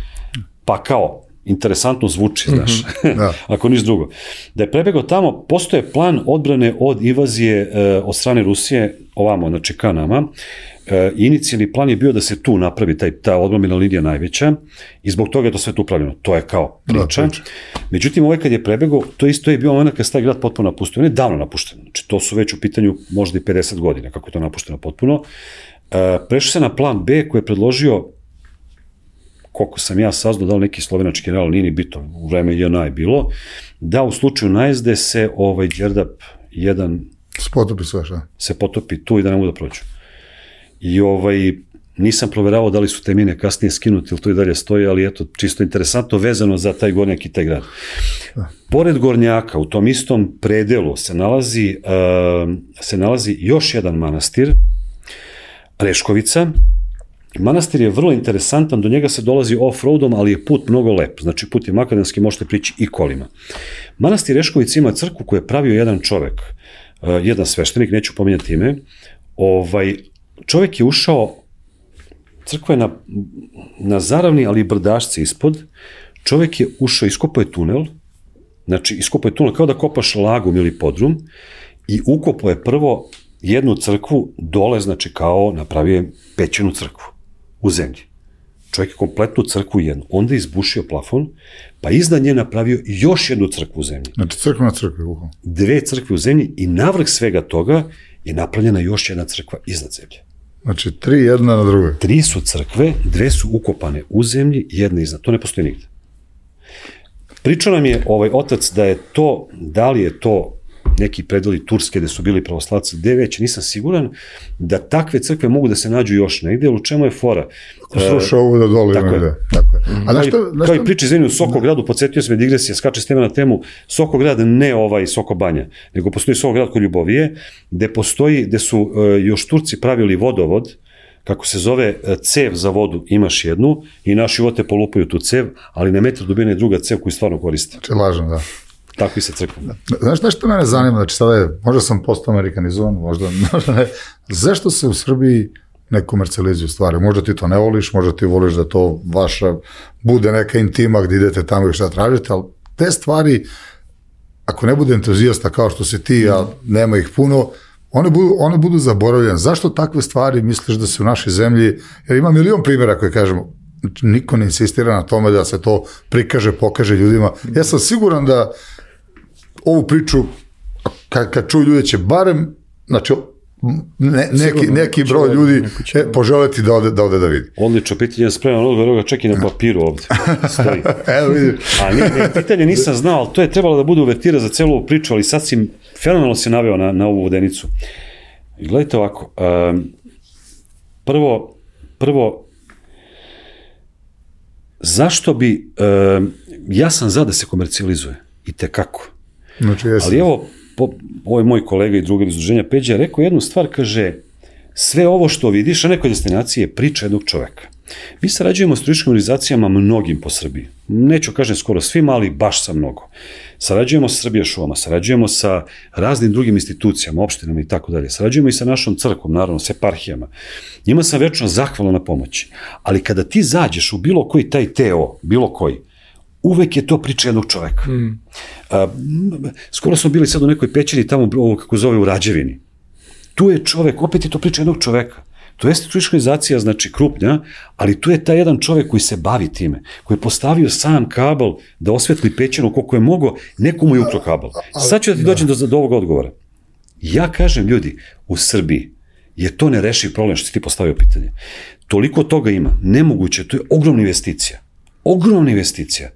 pa kao, interesantno zvuči, znaš, mm-hmm. da. Ako niš drugo. Da je prebegao tamo, postoje plan odbrane od invazije e, od strane Rusije, ovamo, znači ka nama. E, inicijalni plan je bio da se tu napravi taj, ta odbrambena linija najveća i zbog toga je to sve tu upravljeno. To je kao priča. Da, priča. Međutim, ovaj kad je prebegao, to isto je bio moment kad se taj grad potpuno napuštio. On je davno napušten. Znači, to su već u pitanju možda i pedeset godina, kako je to napušteno potpuno. E, prešao se na plan B koji je predložio, koliko sam ja saznao, da li neki slovenački general, nije ni bitno, u vreme J N A je bilo, da u slučaju najezde se ovaj Đerdap jedan se potopi sve, šta? Se potopi tu i da ne mogu da prođu. I ovaj, nisam proveravao da li su te mine kasnije skinuti ili to i dalje stoji, ali eto, čisto interesantno vezano za taj Gornjak i taj grad. Da. Pored Gornjaka, u tom istom predelu se nalazi, uh, se nalazi još jedan manastir, Reškovica. Manastir je vrlo interesantan, do njega se dolazi off-roadom, ali je put mnogo lep, znači put je makadamski, možete prići i kolima. Manastir Reškovica ima crkvu koju je pravio jedan čovek, uh, jedan sveštenik, neću pominjati ime, ovaj, čovek je ušao, crkva je na, na zaravni, ali i brdašci ispod, čovek je ušao, iskopao je tunel, znači iskopao je tunel kao da kopaš lagum ili podrum i ukopao je prvo jednu crkvu dole, znači kao napravio je pećenu crkvu u zemlji. Čovjek je kompletnu crkvu jednu, onda je izbušio plafon, pa iznad nje napravio još jednu crkvu u zemlji. Znači crkva na crkvi, uho. Dve crkve u zemlji i navrh svega toga je napravljena još jedna crkva iznad zemlje. Znači, tri jedna na drugoj. Tri su crkve, dve su ukopane u zemlji, jedna iznad. To ne postoji nigde. Pričao nam je ovaj otac da je to, da li je to neki predeli Turske gde su bili pravoslavci, gde već nisam siguran, da takve crkve mogu da se nađu još negde, ali u čemu je fora? Slušao ovo da dole ima gde. Tako je. A kao, što, kao i priče izvini u Sokogradu, podsjetio se me digresija, skače s teme na temu, Sokograd ne ovaj Sokobanja, nego postoji Sokograd kod Ljubovije, gde postoji, gde su uh, još Turci pravili vodovod, kako se zove, cev za vodu, imaš jednu i naši vote polupaju tu cev, ali na metar dubine je druga cev koju stvarno koriste. Znači, lažno, da. Tako i se crkva. Znaš, znaš što mene zanima, znači sada je, možda sam postao amerikanizovan, možda, možda ne, zašto se u Srbiji ne komercijalizuju stvari? Možda ti to ne voliš, možda ti voliš da to vaša bude neka intima gdje idete tamo i šta tražite, ali te stvari, ako ne bude entuzijasta kao što si ti, a nema ih puno, one budu, one budu zaboravljene. Zašto takve stvari misliš da se u našoj zemlji, jer ima milion primjera koje kažemo, niko ne insistira na tome da se to prikaže, pokaže ljudima. Ja sam siguran da ovu priču, kad, kad čuju ljudi će barem, znači, ne, neki, neki broj ljudi e, poželeti da ode, da ode da vidi. Odlično, pitanje je spremno, odgovor ga čeki na papiru ovde. Stoji. Evo vidim. A ne, ne, pitanje nisam znao, ali to je trebalo da bude uvertira za celu ovu priču, ali sad si fenomenalno se naveo na, na ovu vodenicu. I gledajte ovako, um, prvo, prvo, zašto bi, um, ja sam za da se komercijalizuje, i tekako. Znači, ali evo, po, ovo je moj kolega i drugar iz udruženja Peđa je rekao jednu stvar, kaže, sve ovo što vidiš na nekoj destinaciji je priča jednog čoveka. Mi sarađujemo s turističkim organizacijama mnogim po Srbiji. Neću kažem skoro svima, ali baš sa mnogo. Sarađujemo sa Srbija šumama, sarađujemo sa raznim drugim institucijama, opštinama i tako dalje. Sarađujemo i sa našom crkvom, naravno, s eparhijama. Njima sam večno zahvalan na pomoći. Ali kada ti zađeš u bilo koji taj teo, bilo koji, uvek je to priča jednog čoveka. Mm. A, skoro smo bili sad u nekoj pećini tamo, ovo kako zove u Rađevini. Tu je čovek, opet je to priča jednog čoveka. To jeste turistička organizacija, znači krupnja, ali tu je taj jedan čovek koji se bavi time, koji je postavio sam kabel da osvetli pećinu koliko je mogo, nekomu je ukro kabel. Sad ću da ti dođem do, do ovog odgovora. Ja kažem, ljudi, u Srbiji je to nerešiv problem što si ti postavio pitanje. Toliko toga ima, nemoguće, to je ogromna investicija. Ogromna investicija.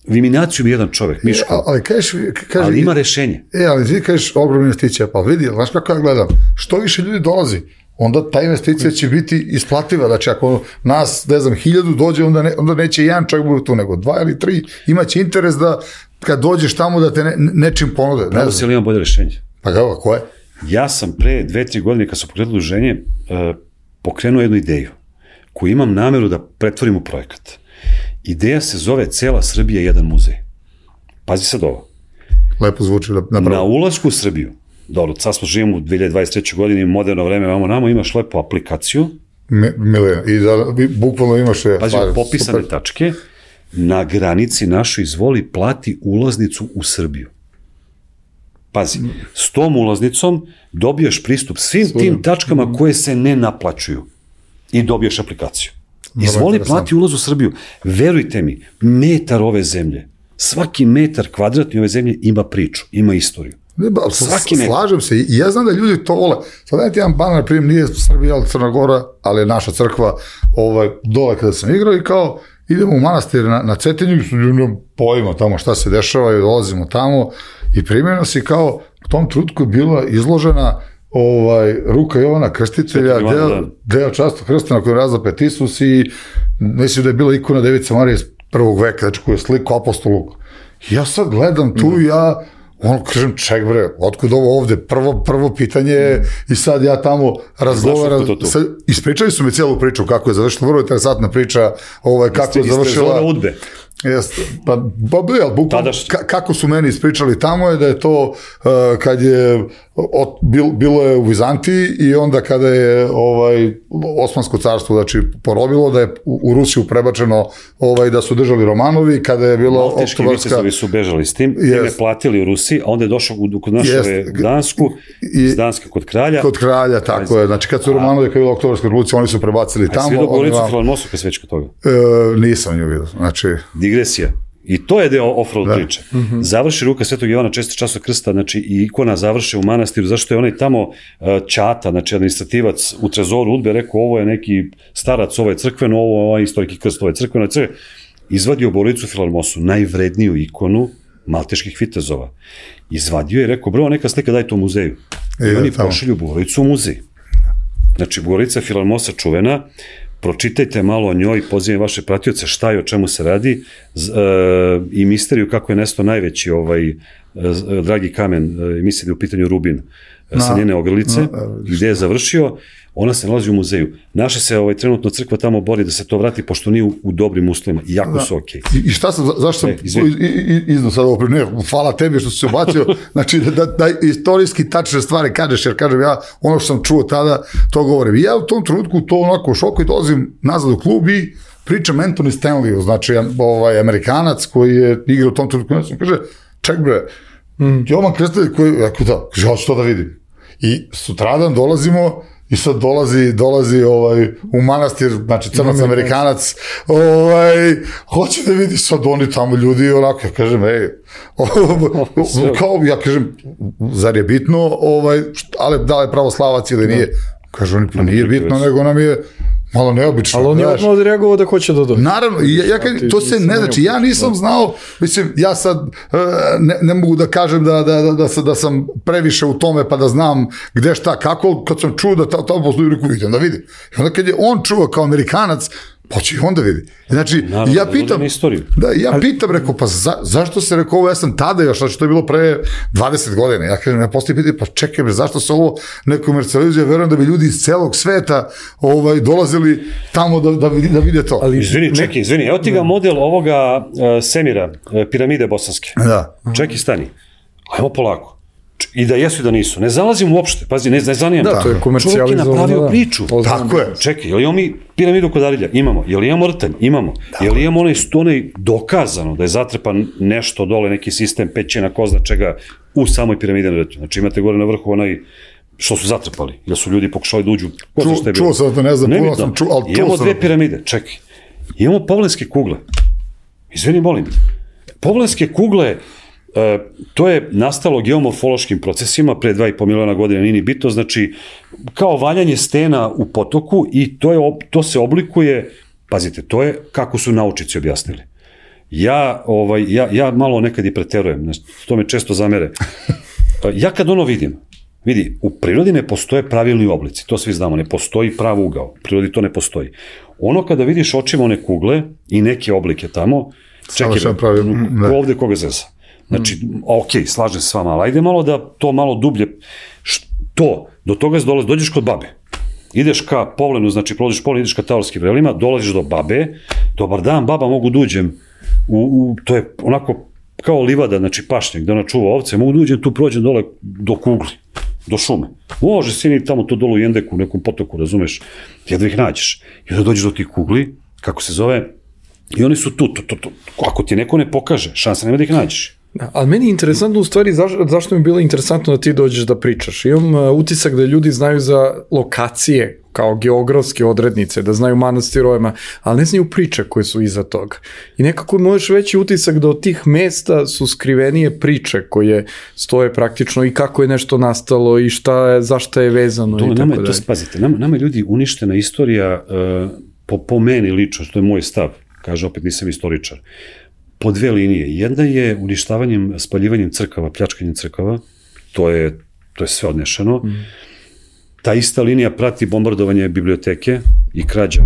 U iminaciju bi jedan čovek, Miško, e, ali, kažeš, kažeš, ali ima rešenje. E, ali ti kažeš ogromna investicija, pa vidi, znaš kako ja gledam, što više ljudi dolazi, onda ta investicija će biti isplativa, znači ako nas, ne znam, hiljadu dođe, onda, ne, onda neće jedan čovjek bude tu, nego dva ili tri, imaće interes da kad dođeš tamo da te ne, nečim ponude. Pravo se li imam bolje rešenje? Pa kako, ko je? Ja sam pre dve, tri godine, kad sam pokrenuo udruženje, uh, pokrenuo jednu ideju, koju imam nameru da pretvorim u projekat. Ideja se zove Cela Srbija jedan muzej. Pazi sad ovo. Lepo zvuči na Na ulasku u Srbiju, dobro, sad smo živimo u dve hiljade dvadeset trećoj godini, moderno vreme, vamo namo, imaš lepo aplikaciju. Milena, i da bukvalno imaš... Je, pazi, popisane super tačke, na granici našoj izvoli plati ulaznicu u Srbiju. Pazi, s tom ulaznicom dobiješ pristup svim Služim. tim tačkama koje se ne naplaćuju i dobiješ aplikaciju. Izvoli plati ulaz u Srbiju. Verujte mi, metar ove zemlje, svaki metar kvadratni ove zemlje ima priču, ima istoriju. Ne, ba, svaki metar. Slažem se i ja znam da ljudi to vole. Sad dajte jedan banan, na primjer, nije Srbija, ali Crna Gora, ali je naša crkva ovaj, dole kada sam igrao i kao idemo u manastir na, na Cetinju, ljudom pojmo tamo šta se dešava i dolazimo tamo i primjerno si kao u tom trutku je bila izložena ovaj, ruka Jovana Krstitelja, deo, deo často krsta na kojem razapet Isus i mislim da je bila ikona Device Marije iz prvog veka, znači koju je sliku apostolu. Ja sad gledam tu i ja ono kažem, ček bre, otkud ovo ovde, prvo, prvo pitanje je i sad ja tamo razgovaram, ispričali su mi cijelu priču kako je završila, vrlo interesantna priča, ovaj, kako je završila. Jeste iz Udbe. Jeste, pa, pa bil, bukvalno, ka, kako su meni ispričali tamo je da je to uh, kad je od, bil, bilo je u Vizantiji i onda kada je ovaj, Osmansko carstvo znači, porobilo, da je u, u Rusiju prebačeno ovaj, da su držali Romanovi, kada je bilo Malteški vicezovi su bežali s tim, yes. time platili u Rusiji, a onda je došao kod naše Dansku, iz Danske kod kralja. Kod kralja, tako je, znači kad su Romanovi, kad je bila Oktobarska revolucija, oni su prebacili tamo. A svi do Goricu Filarmosu kad sve kod toga? E, nisam nju vidio, znači... Digresija. I to je deo off-road Da. priče. Završi ruka Svetog Jovana česti časov krsta, znači i ikona završe u manastiru, zašto je onaj tamo uh, ćata, znači administrativac u trezoru udbe rekao ovo je neki starac, ovo je crkveno, ovo je ovaj istoriki krst, ovo je crkveno, crkveno, izvadio Bogorodicu Filarmosu, najvredniju ikonu malteških vitezova. Izvadio je i rekao, bro, neka slika daj to u muzeju. I E, oni tamo. pošalju Bogorodicu u muzej. Znači, Bogorodica Filarmosa čuvena, pročitajte malo o njoj, pozivam vaše pratioce šta je, o čemu se radi z, e, i misteriju kako je nestao najveći ovaj, e, dragi kamen, e, mislim da je u pitanju Rubin, no. sa njene ogrlice, no. gde je završio, ona se nalazi u muzeju. Naše se ovaj, trenutno crkva tamo bori da se to vrati, pošto nije u, u dobrim uslovima, i jako da. su okej. Okay. I, I šta sam, za, zašto sam e, izno sad ovo, ne, hvala tebi što si se ubacio, znači da, da, da istorijski tačne stvari kažeš, jer kažem ja, ono što sam čuo tada, to govorim. I ja u tom trenutku to onako u šoku i dolazim nazad u klub i pričam Anthony Stanleyu, znači ovaj Amerikanac koji je igra u tom trenutku, ja sam kaže, ček bre, mm. Jovan Krstitelj koji, ja da, kaže, ja ću to da vidim. I sutradan dolazimo i sad dolazi, dolazi ovaj, u manastir, znači crnac Amerikanac, ovaj, hoće da vidi sad oni tamo ljudi, onako, ja kažem, ej, kao, ja kažem, zar je bitno, ovaj, ali da li je pravoslavac ili nije? Kaže, oni, pa nije bitno, nego nam je malo neobično. Ali on je odmah odreagovao da hoće da dođe. Naravno, ja, ja kažem, to se ne, znači, ja nisam znao, mislim, ja sad ne, ne mogu da kažem da, da, da, da, da sam previše u tome pa da znam gde šta, kako, kad sam čuo da tamo postoji, reku, idem da vidim. I onda kad je on čuo kao Amerikanac, pa će i onda vidi. Znači, naravno, ja pitam, da, ja pitam, rekao, pa za, zašto se rekao ovo, ja sam tada još, znači to je bilo pre dvadeset godina, ja kažem, ja postoji pitanje, pa čekaj, zašto se ovo ne komercijalizuje, verujem da bi ljudi iz celog sveta ovaj, dolazili tamo da, da, da vide to. Ali, izvini, čekaj, izvini, evo ti ga model ovoga uh, Semira, uh, piramide bosanske. Da. Čekaj, stani, ajmo polako. I da jesu i da nisu. Ne zalazim uopšte, pazi, ne, ne zanimam. Da, to je komercijalizovano. Čovjek je napravio da. priču. Tako je. Čekaj, je li imamo mi piramidu kod Arilja? Imamo. Je li imamo rtanj? Imamo. Da. Je li imamo onaj, onaj dokazano da je zatrepan nešto dole, neki sistem pećina, ko zna čega, u samoj piramidi na rtanju? Znači imate gore na vrhu onaj što su zatrepali, jer su ljudi pokušali da uđu. Ko Ču, zna čuo sam da ne znam, puno sam čuo, ali čuo imamo sam. Dve piramide, čekaj. Imamo povlenske kugle. Izvini, molim. Povlenske kugle, Uh, to je nastalo geomorfološkim procesima pre dva i po miliona godina, nije ni bitno, znači kao valjanje stena u potoku i to, je, to se oblikuje, pazite, to je kako su naučnici objasnili. Ja, ovaj, ja, ja malo nekad i preterujem, znači, to me često zamere. Uh, ja kad ono vidim, vidi, u prirodi ne postoje pravilni oblici, to svi znamo, ne postoji prav ugao, u prirodi to ne postoji. Ono kada vidiš očima one kugle i neke oblike tamo, čekaj, ovde koga zeza. Znači, ok, slažem se s vama, ali ajde malo da to malo dublje, to, do toga se dolazi, dođeš kod babe, ideš ka Povlenu, znači prolaziš Povlen, ideš ka Tavorskim vrelima, dolaziš do babe, dobar dan, baba, mogu da uđem, u, u, to je onako kao livada, znači pašnjak, da ona čuva ovce, mogu da uđem, tu prođem dole do kugli, do šume. Može sini tamo to dole u Jendeku, u nekom potoku, razumeš, jedva ih nađeš. I onda dođeš do tih kugli, kako se zove, i oni su tu, to, to, to. Ako ti neko ne pokaže, šansa nema da ih nađeš. Da, ali meni je interesantno u stvari zaš, zašto mi je bilo interesantno da ti dođeš da pričaš. Imam uh, utisak da ljudi znaju za lokacije kao geografske odrednice, da znaju manastirojima, ali ne znaju priče koje su iza toga. I nekako možeš veći utisak da od tih mesta su skrivenije priče koje stoje praktično i kako je nešto nastalo i šta je, zašto je vezano. To, i nama, tako to spazite, nama, nama je ljudi uništena istorija uh, po, po meni lično, što je moj stav, kaže opet nisam istoričar, po dve linije. Jedna je uništavanjem, spaljivanjem crkava, pljačkanjem crkava, to je, to je sve odnešeno. Mm. Ta ista linija prati bombardovanje biblioteke i krađa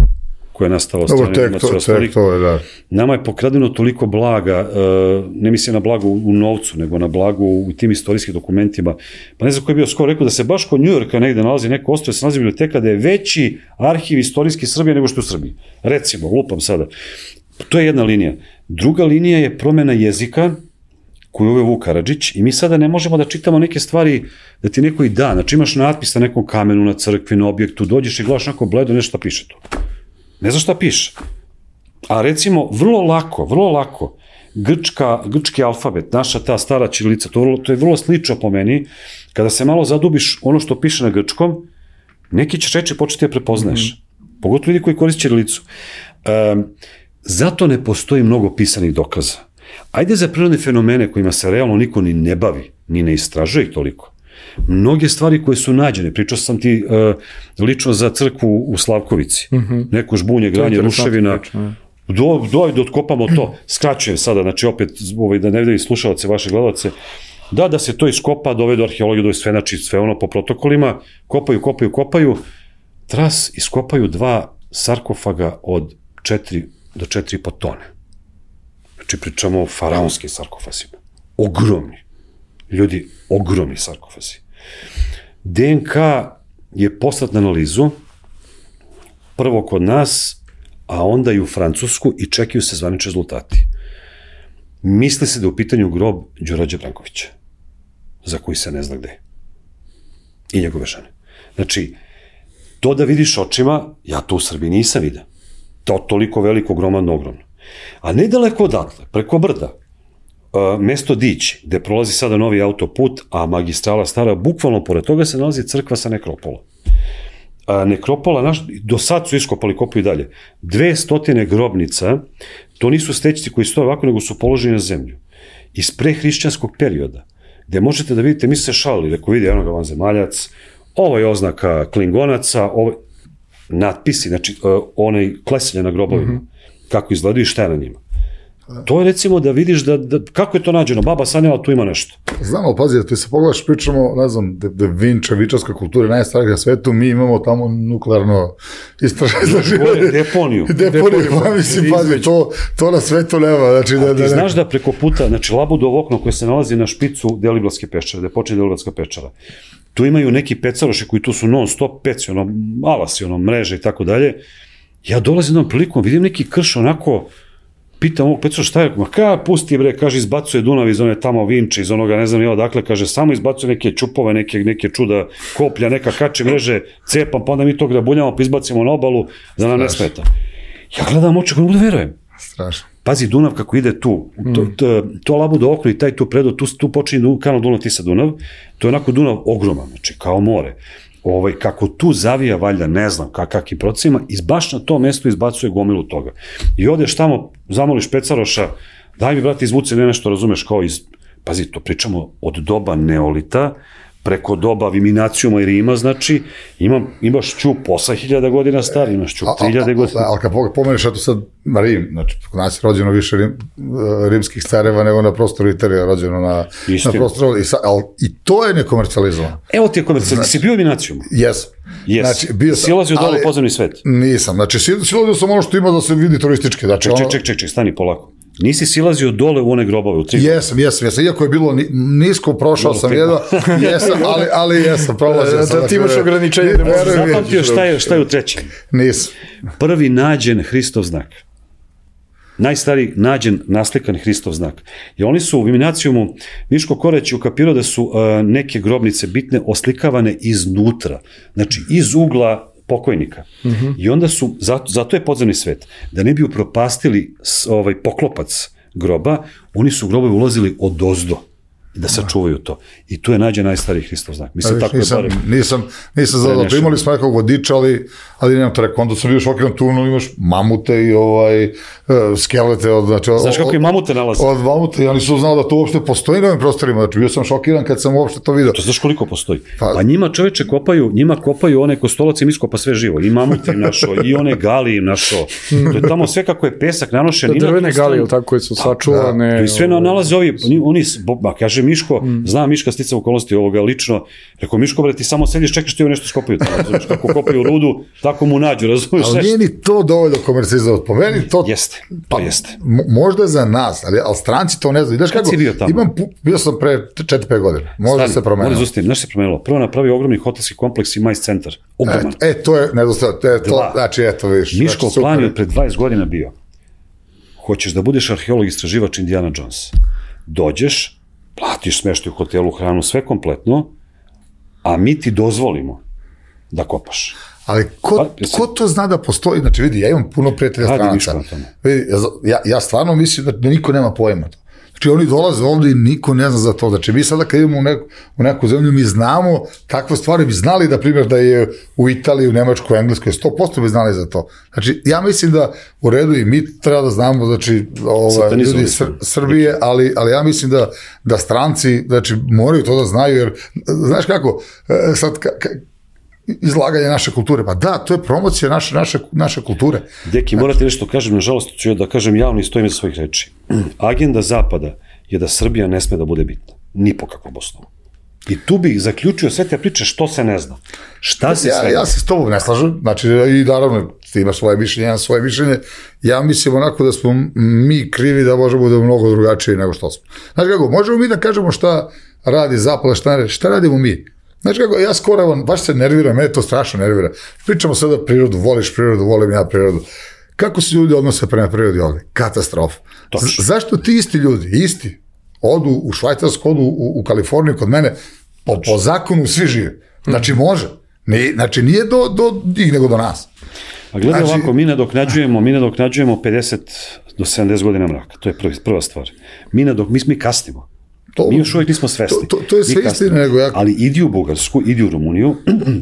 koja je nastala od strane Nemaca i ostalih. Da. Nama je pokradeno toliko blaga, ne mislim na blago u novcu, nego na blago u tim istorijskim dokumentima. Pa ne znam ko je bio skoro rekao da se baš kod Njujorka negde nalazi neko ostrvo, se nalazi biblioteka da je veći arhiv istorijski Srbije nego što u Srbiji. Recimo, lupam sada. To je jedna linija. Druga linija je promena jezika koju uveo Vuk Karadžić i mi sada ne možemo da čitamo neke stvari da ti neko i da. Znači imaš natpis na nekom kamenu, na crkvi, na objektu, dođeš i gledaš neko bledo, nešto šta piše tu. Ne znaš šta piše. A recimo, vrlo lako, vrlo lako, grčka, grčki alfabet, naša ta stara ćirilica, to, to je vrlo slično po meni, kada se malo zadubiš ono što piše na grčkom, neki ćeš reći početi da prepoznaješ. Mm-hmm. Pogotovo ljudi koji koriste ćirilicu. Um, Zato ne postoji mnogo pisanih dokaza. Ajde za prirodne fenomene kojima se realno niko ni ne bavi, ni ne istražuje ih toliko. Mnoge stvari koje su nađene, pričao sam ti uh, lično za crkvu u Slavkovici, mm-hmm. neko žbunje, granje, ruševina, priča, do, do, da otkopamo to, skraćujem sada, znači opet, ovaj, da ne vidim slušalce, vaše gledalce, da, da se to iskopa, dovedu arheologiju, dovedu sve, znači sve ono po protokolima, kopaju, kopaju, kopaju, tras iskopaju dva sarkofaga od četiri do četiri i po tone. Znači pričamo o faraonskim sarkofazima. Ogromni. Ljudi, ogromni sarkofazi. D N K je poslat na analizu, prvo kod nas, a onda i u Francusku i čekaju se zvanični rezultati. Misli se da je u pitanju grob Đurađa Brankovića, za koji se ne zna gde. I njegove žene. Znači, to da vidiš očima, ja to u Srbiji nisam vidio. To toliko veliko, ogromno, ogromno. A nedaleko odatle, preko brda, Uh, mesto Dić, gde prolazi sada novi autoput, a magistrala stara, bukvalno pored toga se nalazi crkva sa nekropola. Uh, nekropola, naš, do sad su iskopali, kopaju dalje. Dve stotine grobnica, to nisu stećci koji stoje ovako, nego su položeni na zemlju. Iz prehrišćanskog perioda, gde možete da vidite, mi se šalili, reko vidi, eno ga vanzemaljac, ovo je oznaka klingonaca, ovo natpisi, znači uh, onaj klesenje na grobovima, mm-hmm. kako izgledaju i šta je na njima. To je recimo da vidiš da, da kako je to nađeno, baba sanjala, tu ima nešto. Znam, ali pazi, ti se pogledaš, pričamo, ne znam, da, da Vinča, vičarska kultura je najstarija na svetu, mi imamo tamo nuklearno istraživanje. Deponiju. Deponiju, pa mislim, pazi, to, to na svetu nema. Znači, da, A ti da, znaš da preko puta, znači Labudovo okno koje se nalazi na špicu Deliblatske pečare, gde počne Deliblatska pečara, tu imaju neki pecaroši koji tu su non stop peci, ono, alasi, ono, mreže i tako dalje. Ja dolazim jednom prilikom, vidim neki krš onako, pitam ovog Petra šta je, ma ka, pusti bre, kaže, izbacuje Dunav iz one tamo Vinče, iz onoga, ne znam ja odakle, kaže, samo izbacuje neke čupove, neke, neke čuda koplja, neka kače mreže, cepam, pa onda mi to grabuljamo, pa izbacimo na obalu, da nam ne smeta. Ja gledam oči, kako ne mogu da verujem. Strašno. Pazi, Dunav kako ide tu, to, to, to Labudo okno i taj tu predo, tu, tu počinje kanal Dunav Tisa Dunav, to je onako Dunav ogroman, znači kao more. Ovaj, kako tu zavija, valjda, ne znam kak, kakim procesima, i baš na to mesto izbacuje gomilu toga. I odeš tamo, zamoliš pecaroša, daj mi, brate, izvuci ne nešto, razumeš, kao iz, pazi, to pričamo od doba neolita, preko doba Viminacijuma i Rima, znači, imam, imaš ćup osam hiljada godina star, imaš ćup tri hiljade godina. Ali kad pomeneš, eto sad Rim, znači, kod nas je rođeno više rim, rimskih careva nego na prostoru Italije, rođeno na, na prostoru, i, sa, ali, i to je nekomercijalizovano. Evo ti je komercijalizovano, znači, si bio u Viminacijumu? Jes. Yes. Znači, bio sam, silazio dole u podzemni svet? Nisam, znači, silazio sam ono što ima da se vidi turistički. Znači, ček, ono... ček, ček, ček, stani polako. Nisi silazio dole u one grobove, u tri? Jesam, jesam, jesam. Iako je bilo nisko, prošao sam jedno, jesam, ali, ali jesam, prolazio sam. Da ti imaš ograničenje. Zapamtio šta je, šta je u trećem? Nisam. Prvi nađen Hristov znak. Najstariji nađen naslikan Hristov znak. I oni su u Viminacijumu, Miško Koreć ukapirao da su uh, neke grobnice bitne oslikavane iznutra. Znači, iz ugla pokojnika. Mm-hmm. I onda su, zato, zato je podzemni svet, da ne bi upropastili ovaj poklopac groba, oni su u grobe ulazili od ozdo, da sačuvaju to. I tu je nađen najstariji Hristov znak. Mislim, viš, tako nisam, je barem. Nisam, nisam zadao, imali smo nekog vodiča, ali, ali nemam to rekao, onda sam bio šokiran tu, no, imaš mamute i ovaj, skelete. Od, znači, Znaš kako je mamute nalaze? Od mamute, ja nisam znao da to uopšte postoji na ovim prostorima, znači bio sam šokiran kad sam uopšte to vidio. To znaš koliko postoji? Pa, pa njima čoveče kopaju, njima kopaju one kostolac im iskopa sve živo, i mamute im našo, i one gali im našo. To je tamo sve kako je pesak nanošen. Da, drvene gali, tako koje su sačuvane. Da, i sve nalaze ovi, oni, ba, kaže Miško, mm. zna Miška stica okolnosti ovoga lično, rekao Miško, bre, ti samo sediš, čekaš ti ovo nešto skopaju, razumiješ, kako kopaju rudu, tako mu nađu, razumiješ. Ali nije ni to dovoljno komercijalizovati, po meni to... Jeste, to pa, jeste. Možda je za nas, ali, ali stranci to ne znaju. Kad kako, si bio tamo? Imam, bio sam pre četiri pet godina, možda Stani, se promenilo. Možda zustim, znaš se promenilo, prvo napravio ogromni hotelski kompleks i majs centar, ogroman. E, e, to je nedostatak, e, to, znači, eto, viš. Miško znači, plan je pred dvadeset godina bio, hoćeš da budeš arheolog istraživač Indiana Jones, dođeš, platiš smeštaj u hotelu, hranu, sve kompletno, a mi ti dozvolimo da kopaš. Ali ko, pa, ko to zna da postoji? Znači, vidi, ja imam puno prijatelja stranaca. Vidi, ja, ja stvarno mislim da niko nema pojma to. Znači oni dolaze ovde i niko ne zna za to. Znači mi sada kad idemo u neku, u neku zemlju, mi znamo takve stvari, bi znali da primjer da je u Italiji, u Nemačkoj, u Engleskoj, sto posto bi znali za to. Znači ja mislim da u redu i mi treba da znamo, znači ovaj, ljudi Sr Srbije, ali, ali ja mislim da, da stranci, znači moraju to da znaju, jer znaš kako, sad ka, ka, izlaganje naše kulture, pa da, to je promocija naše, naše, naše kulture. Deki, morate nešto kažem, nažalost ću da kažem javno i stojim za svojih reči. Agenda Zapada je da Srbija ne sme da bude bitna, ni po kakvom osnovu. I tu bih zaključio sve te priče što se ne zna. Šta se sve... Ja, ja se s tobom ne slažem, znači i naravno ti imaš svoje mišljenje, ja svoje mišljenje, ja mislim onako da smo mi krivi da možemo da je mnogo drugačiji nego što smo. Znači kako, možemo mi da kažemo šta radi Zapad, šta, ne, šta radimo mi? Znači kako, ja skoro, baš se nerviram, mene to strašno nervira. Pričamo sada prirodu, voliš prirodu, volim ja prirodu. Kako se ljudi odnose prema prirodi ovde? Katastrofa. Zašto ti isti ljudi, isti, odu u Švajcarsku, odu u, u Kaliforniju kod mene, po, po zakonu svi žive. Znači može. Nije, znači nije do, do njih nego do nas. A gledaj znači, ovako, mi nadoknađujemo, mi nadoknađujemo pedeset do sedamdeset godina mraka. To je prvi, prva stvar. Mi, nadok, mi, mi kasnimo. To, mi još uvijek nismo svesni. To, to, to je sve istina nego ja... Ali idi u Bugarsku, idi u Rumuniju,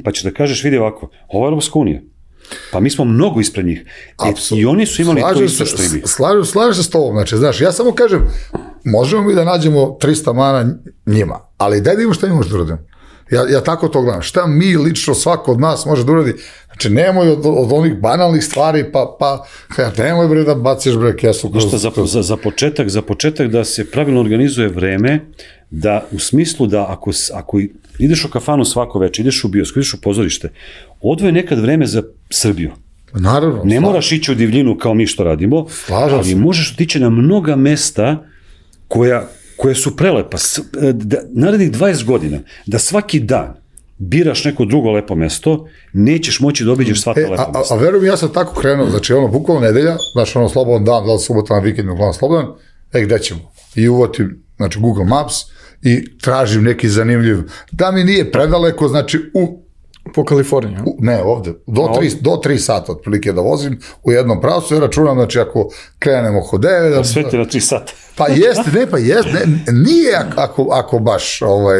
pa će da kažeš, vidi ovako, ovo je Europska unija. Pa mi smo mnogo ispred njih. E, I oni su imali slažem to isto što i mi. Slažem, slažem se s tobom, znači, znaš, ja samo kažem, možemo mi da nađemo trista mana njima, ali daj da imamo šta mi možemo da uradimo. Ja, ja tako to gledam. Šta mi lično, svako od nas može da uradi? Znači, nemoj od, od onih banalnih stvari, pa, pa nemoj bre da baciš bre kesu. Kroz, za, za, za, početak, za početak da se pravilno organizuje vreme, da u smislu da ako, ako ideš u kafanu svako večer, ideš u bioskop, ideš u pozorište, odvoje nekad vreme za Srbiju. Naravno. Ne moraš ići u divljinu kao mi što radimo, slažem ali se. Možeš otići na mnoga mesta koja, koje su prelepa. Da, narednih dvadeset godina, da svaki dan biraš neko drugo lepo mesto, nećeš moći da obiđeš sva ta e, lepa mesta. A, a verujem, ja sam tako krenuo, znači ono, bukvalno nedelja, znaš ono slobodan dan, da li subota na vikend, uglavnom slobodan, e, gde ćemo? I uvotim, znači Google Maps i tražim neki zanimljiv, da mi nije predaleko, znači u po Kaliforniji. U, ne, ovde, do tri, do tri sata otprilike da vozim u jednom pravcu, ja računam, znači ako krenemo oko devet... Da, sve ti na tri sata. Pa jeste, ne, pa jeste, ne, nije ako, ako baš, ovaj,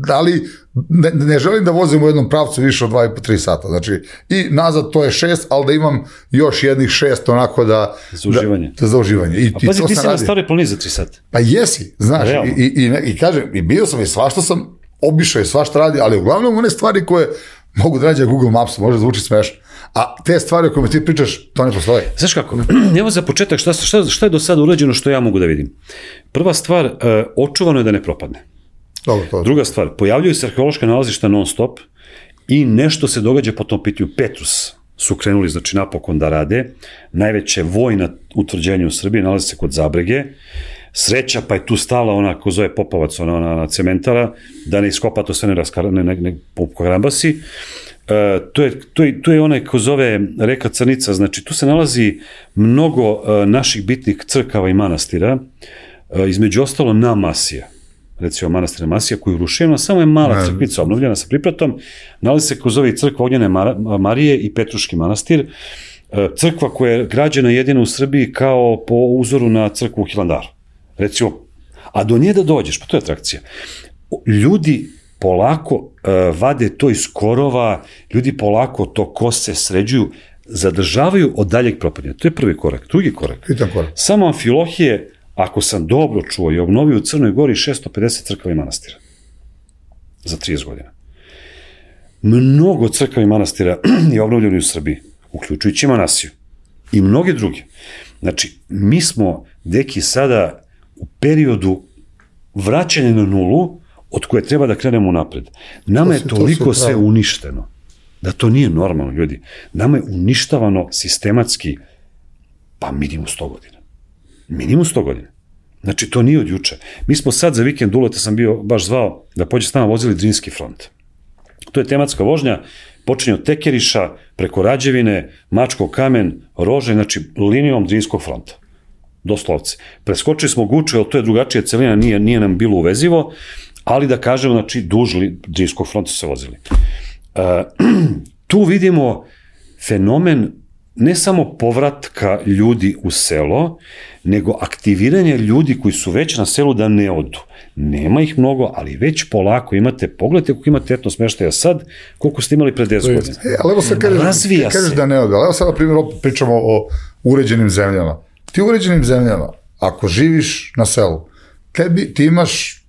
ali ne, ne želim da vozim u jednom pravcu više od dva i po tri sata, znači i nazad to je šest, ali da imam još jednih šest onako da... Za uživanje. Da, za uživanje. I, A pazi, ti si na staroj planini za tri sata. Pa jesi, znaš, i, i, i, i kažem, i bio sam i svašta sam obišao i svašta radi, ali uglavnom one stvari koje mogu da rađe Google Maps, može zvuči smešno. A te stvari o kojima ti pričaš, to ne postoje. Znaš kako, evo za početak, šta, šta, šta je do sada urađeno što ja mogu da vidim? Prva stvar, uh, očuvano je da ne propadne. Dobro, to je. Druga stvar, pojavljuju se arheološka nalazišta non stop i nešto se događa po tom pitanju. Petrus su krenuli, znači, napokon da rade. Najveće vojna utvrđenje u Srbiji nalazi se kod Zabrege. Sreća, pa je tu stala ona, ko zove Popavac, ona, ona cementara, da ne iskopa to sve ne raskara, ne, ne, ne pokarambasi. E, to, je, to, je, to je onaj ko zove reka Crnica, znači tu se nalazi mnogo e, naših bitnih crkava i manastira, e, između ostalo na Masija, recimo manastir Masija koji je urušena, samo je mala crkvica obnovljena sa pripratom, nalazi se ko zove crkva Ognjene Marije i Petruški manastir, e, crkva koja je građena jedina u Srbiji kao po uzoru na crkvu u Hilandaru. Recimo, a do nje da dođeš, pa to je atrakcija. Ljudi polako uh, vade to iz korova, ljudi polako to kose sređuju, zadržavaju od daljeg propadanja. To je prvi korak. Drugi korak. korak. Samo Amfilohije, ako sam dobro čuo, je obnovio u Crnoj Gori šesto pedeset crkava i manastira. Za trideset godina. Mnogo crkava i manastira je obnovljeno u Srbiji, uključujući Manasiju. I mnoge druge. Znači, mi smo, deki, sada u periodu vraćanja na nulu, od koje treba da krenemo napred. Nama je toliko sve uništeno, da to nije normalno, ljudi. Nama je uništavano sistematski, pa minimum sto godina. Minimum sto godina. Znači, to nije od juče. Mi smo sad za vikend uleta, sam bio baš zvao, da pođe s nama vozili Drinski front. To je tematska vožnja, počinje od Tekeriša, preko Rađevine, Mačkov kamen, Rože, znači linijom Drinskog fronta. Doslovce. Preskočili smo Guču, jer to je drugačija celina, nije, nije nam bilo uvezivo, ali da kažemo, znači, duž Drinskog fronta se vozili. Uh, tu vidimo fenomen ne samo povratka ljudi u selo, nego aktiviranje ljudi koji su već na selu da ne odu. Nema ih mnogo, ali već polako imate, pogledajte koliko imate etno smeštaja sad, koliko ste imali pre deset godina. E, ali evo sad kažeš, Razvija kažeš se. da ne odu, ali evo sad na primjer opet pričamo o uređenim zemljama. Ti u uređenim zemljama, ako živiš na selu, tebi, ti imaš,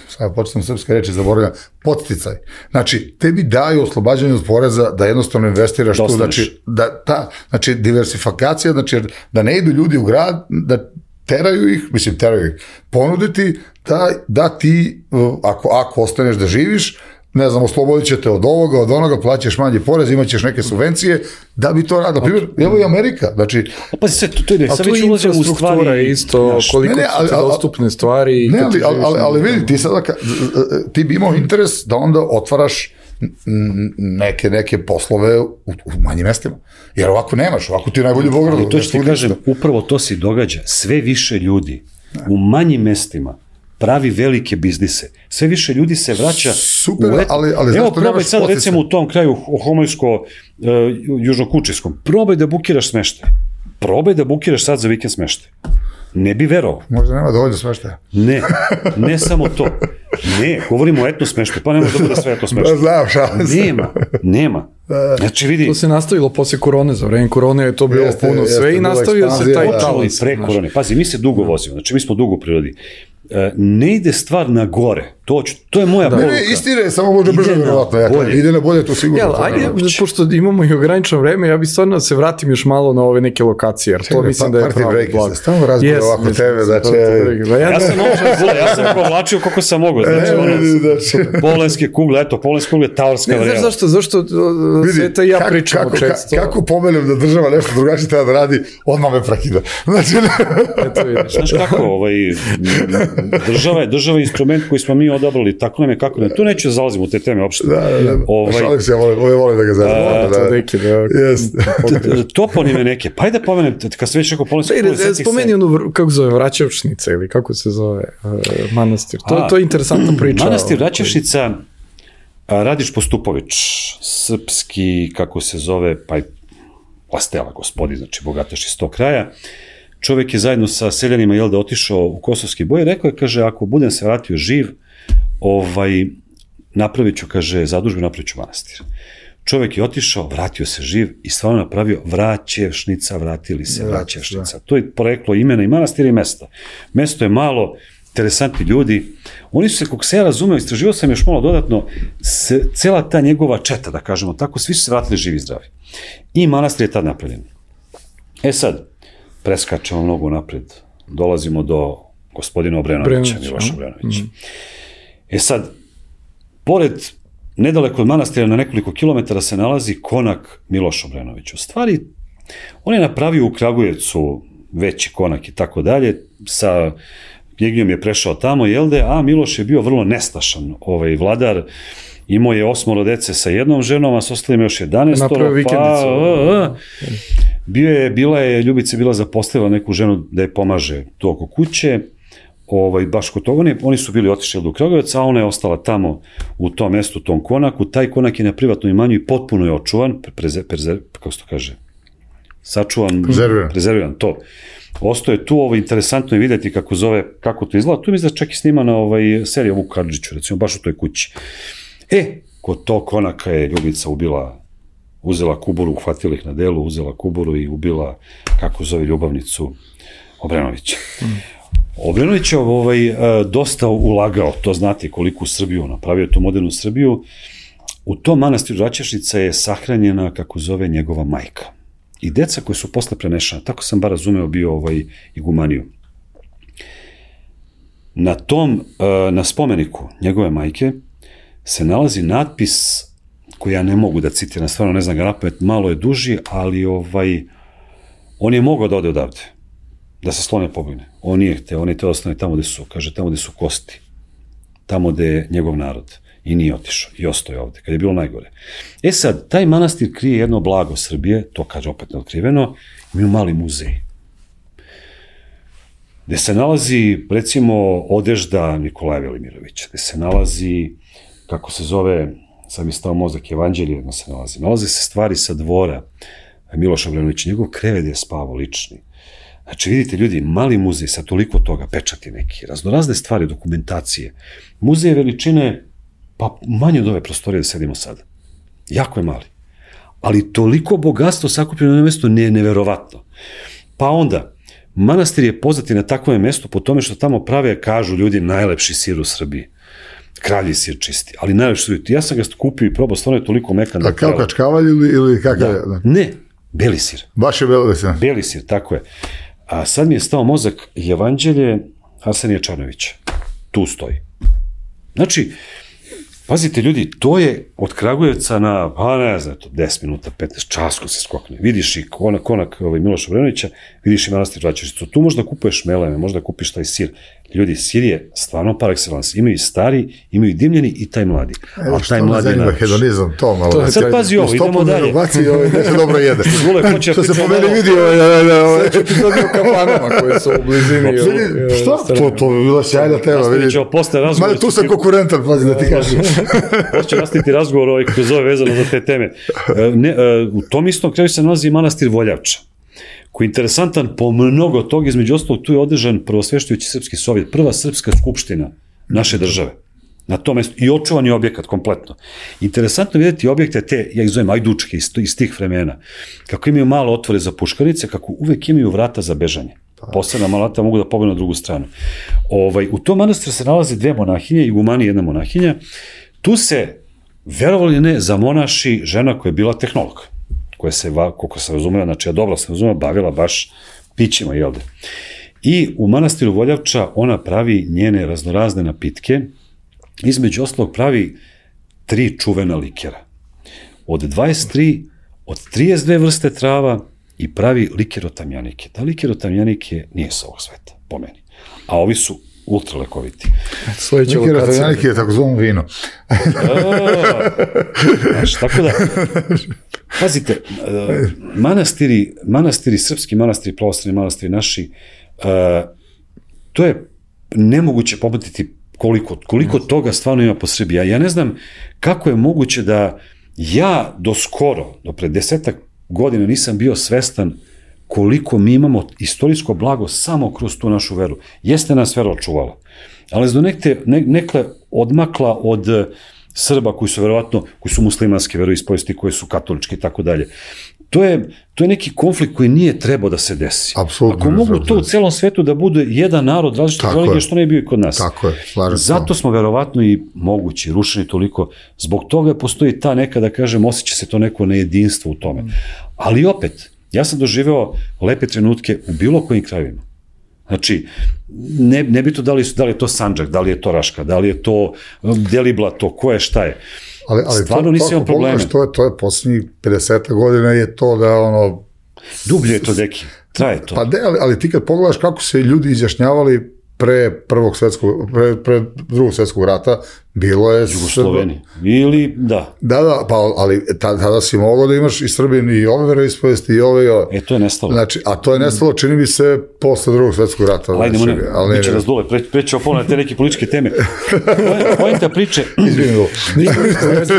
sad početam srpske reči, zaboravljam, podsticaj. Znači, tebi daju oslobađanje od poreza da jednostavno investiraš tu, znači, da, ta, znači, diversifikacija, znači, da ne idu ljudi u grad, da teraju ih, mislim, teraju ih, ponuditi da, da ti, ako, ako ostaneš da živiš, ne znam, oslobodit ćete od ovoga, od onoga, plaćaš manji porez, imaćeš neke subvencije, da bi to radilo. Primjer, evo i Amerika, znači... Pa se, to, to je, a sad tu već je ulazimo u stvari... infrastruktura isto, naš, koliko ne, ne, ali, su ti dostupne stvari... Ne, ali, ali, ali, ali vidi, ti sada, ti bi imao interes da onda otvaraš neke, neke poslove u, u manjim mestima. Jer ovako nemaš, ovako ti je najbolji u Beogradu. Ali to što ti kažem, upravo to se događa. Sve više ljudi u manjim mestima pravi velike biznise. Sve više ljudi se vraća super, u et... ali, ali evo, probaj sad potice. Recimo u tom kraju Homojsko, uh, južnokučijskom, probaj da bukiraš smeštaj. Probaj da bukiraš sad za vikend smeštaj. Ne bi verovao. Možda nema dovoljno smeštaja. Ne, ne samo to. Ne, govorimo o etno smeštaju, pa ne može da bude sve etno smeštaju. Znam, šalim se. Nema, nema. Znači vidi... To se nastavilo posle korone, za vreme korone je to bilo jeste, puno jeste, sve i nastavio se taj talas. Pre korone. Pazi, mi se dugo vozimo, znači mi smo dugo u prirodi. Ne ide stvar na gore, to, to je moja da. poruka. Ne, ne, istina je, samo može brže vjerovatno, ja, ide na bolje, to sigurno. Ja, ajde, pošto imamo i ograničeno vreme, ja bih stvarno se vratim još malo na ove neke lokacije, jer to mislim pa, da je pravo blago. Stavno razgovor yes, ovako tebe, znači... Ja sam naučan, ja sam provlačio koliko sam mogao, znači ono, polenske kugle, eto, polenske kugle, taorska varijala. Ne znaš zašto, zašto Sveta i ja pričamo često. Kako pomenem da država nešto drugačije treba da radi, odmah me prekida. Znači... Znaš kako, ovaj... Država je, država je instrument koji smo mi odabrali, tako nam je kako ne, tu neću da zalazim u te teme uopšte. Da, da, da. Ovaj, šalim se, ja volim, volim da ga zalazim. Da, da, neki, da. Yes. Toponime neke, pa ajde pomenem, kad se već rekao polenske kugle, setih se. Spomeni onu, kako zove, Vraćevšnica ili kako se zove, uh, manastir. To, A, to je interesantna priča. Manastir Vraćevšnica, Radiš Postupović, srpski, kako se zove, pa i Lastela, gospodin, znači bogataš iz tog kraja. Čovjek je zajedno sa seljanima, jel da, otišao u kosovski boj, rekao je, kaže, ako budem se vratio živ, ovaj, napravit ću, kaže, zadužbu, napravit ću manastir. Čovjek je otišao, vratio se živ i stvarno napravio Vraćevšnica, vratili se Vraćevšnica. To je poreklo imena i manastira i mesta. Mesto je malo, interesantni ljudi. Oni su se, kako se ja razumeo, istraživao sam još malo dodatno, se, cela ta njegova četa, da kažemo tako, svi su se vratili živi i zdravi. I manastir je tad napravljen. E sad, preskačemo mnogo napred, dolazimo do gospodina Obrenovića, Miloša Obrenovića. Mm. E sad, pored, nedaleko od manastira, na nekoliko kilometara se nalazi konak Miloša Obrenovića. U stvari, on je napravio u Kragujevcu veći konak i tako dalje, sa knjignjom je prešao tamo, jel de, a Miloš je bio vrlo nestašan ovaj vladar, imao je osmoro dece sa jednom ženom, a s ostalim još jedanaestoro, pa... A, a, bio je, bila je, Ljubica bila zapostavila neku ženu da je pomaže tu oko kuće, ovaj, baš kod toga, oni, oni su bili otišli do Kragujevaca, a ona je ostala tamo u tom mestu, u tom konaku, taj konak je na privatnom imanju i potpuno je očuvan, preze, preze, kako se to kaže, sačuvan, prezerviran, prezerviran to. Ostao je tu, ovo interesantno je vidjeti kako zove, kako to izgleda, tu mi izgleda čak i snima na ovaj, seriju Vuk Karadžiću, recimo, baš u toj kući. E, kod tog konaka je Ljubica ubila, uzela kuburu, uhvatila ih na delu, uzela kuburu i ubila, kako zove, ljubavnicu Obrenovića. Mm. Obrenović je ovaj, dosta ulagao, to znate koliko u Srbiju, napravio tu modernu Srbiju. U tom manastiru Vraćevšnica je sahranjena, kako zove, njegova majka. I deca koji su posle prenešana, tako sam bar razumeo bio ovaj igumaniju. Na tom, na spomeniku njegove majke se nalazi natpis koji ja ne mogu da citiram, stvarno ne znam ga napamet, malo je duži, ali ovaj, on je mogao da ode odavde, da se slone pobegne. On nije hteo, on je teo ostane tamo gde su, kaže, tamo gde su kosti, tamo gde je njegov narod. I nije otišao, i ostao je ovde, kad je bilo najgore. E sad, taj manastir krije jedno blago Srbije, to kaže opet neotkriveno, imaju mali muzej, gde se nalazi, recimo, odežda Nikolaja Velimirovića, gde se nalazi, kako se zove, sad mi stao mozak, Evanđelje se nalazi, nalaze se stvari sa dvora, Miloš Obrenović, njegov krevet je spavao lični. Znači, vidite ljudi, mali muzej sa toliko toga, pečati neki, raznorazne stvari, dokumentacije. Muzej veličine, pa manje od ove prostorije da sedimo sada. Jako je mali. Ali toliko bogatstvo sakupljeno na mestu je neverovatno. Pa onda, manastir je poznat na takvom mestu po tome što tamo prave, kažu ljudi, najlepši sir u Srbiji. Kralji sir čisti, ali najlepši sir. Ja sam ga kupio i probao, stvarno je toliko mekan. A kao kačkavalj ili, ili kakav je? Da. Ne, beli sir. Baš je beli sir. Beli sir, tako je. A sad mi je stao mozak Evanđelje Arsenija Čarnovića. Tu stoji. Znači, pazite ljudi, to je od Kragujevca na, pa ne znam, deset minuta, petnaest, časko se skokne. Vidiš i konak, konak ovaj, Miloša Obrenovića, vidiš i manastir Vraćevicu. Tu možda kupuješ meleme, možda kupiš taj sir. Ljudi, sir je stvarno par excellence. Imaju i stari, imaju i dimljeni i taj mladi. Evo što me zanima hedonizam, to malo. To, sad pazi ovo, idemo dalje. Baci, ovo, nešto dobro jede. Zgule, hoće što se po meni vidi. Sve ću ti dobio kafanama koje su u blizini. Šta? To, to bi bila sjajna tema. Nastavit ćemo posle razgovor. Tu sam konkurentan, pazi da ti kažem. Hoće nastaviti razgovor ovaj kroz ove vezano za te teme. Ne, u tom istom kraju se nalazi manastir Voljavča, koji je interesantan po mnogo toga, između ostalog tu je održan prvosveštujući srpski sovjet, prva srpska skupština naše države. Na tom mestu. I očuvani objekat kompletno. Interesantno vidjeti objekte te, ja ih zovem ajdučke iz, iz tih vremena, kako imaju malo otvore za puškarice, kako uvek imaju vrata za bežanje. Posebna malata mogu da pobegu na drugu stranu. Ovaj, u tom manastiru se nalaze dve monahinje, igumani i jedna monahinja. Tu se, verovali ne, zamonaši žena koja je bila tehnolog, koja se, koliko se razumela, znači ja dobro se razumela, bavila baš pićima, jel de? I u manastiru Voljavča ona pravi njene raznorazne napitke, između ostalog pravi tri čuvena likera. Od dvadeset tri, od trideset dve vrste trava i pravi liker od tamjanike. Ta liker od tamjanike nije sa ovog sveta, po meni. A ovi su ultra lekoviti. Liker od tamjanike je tako zvano vino. Znaš, tako da, pazite, manastiri, manastiri, srpski manastiri, pravoslavni manastiri naši, to je nemoguće popatiti koliko, koliko toga stvarno ima po Srbiji. Ja ne znam kako je moguće da ja do skoro, do pre desetak godina nisam bio svestan koliko mi imamo istorijsko blago samo kroz tu našu veru. Jeste nas vera očuvala, ali do nekte, ne, nekle odmakla od Srba koji su verovatno, koji su muslimanske veroispovesti, koji su katolički i tako dalje. To je, to je neki konflikt koji nije trebao da se desi. Apsolutno. Ako mogu to u celom svetu da bude jedan narod različite religije, što ne bi bio i kod nas. Tako je, slažem se. Zato smo verovatno i mogući, rušeni toliko. Zbog toga postoji ta neka, da kažem, osjeća se to neko nejedinstvo u tome. Ali opet, ja sam doživeo lepe trenutke u bilo kojim krajevima. Znači, ne, ne bi to da li, da li je to Sandžak, da li je to Raška, da li je to Deliblato, ko je, šta je. Ali, ali stvarno to, nisi imao probleme. To je, to je posljednjih pedeset godina je to da ono... Dublje je to, deki, traje to. Pa de, ali, ali ti kad pogledaš kako se ljudi izjašnjavali pre prvog svetskog, pre, pre drugog svetskog rata, bilo je... Jugosloveni. Ili, da. Da, da, pa, ali tada si mogao da imaš i Srbin i ove veroispovesti i ove i ove. E, to je nestalo. Znači, a to je nestalo, čini mi se, posle drugog svetskog rata. Ajde, znači, ne, ali biće nas dole, pre, preće opolne te neke političke teme. Pojenta priče... Izvinim,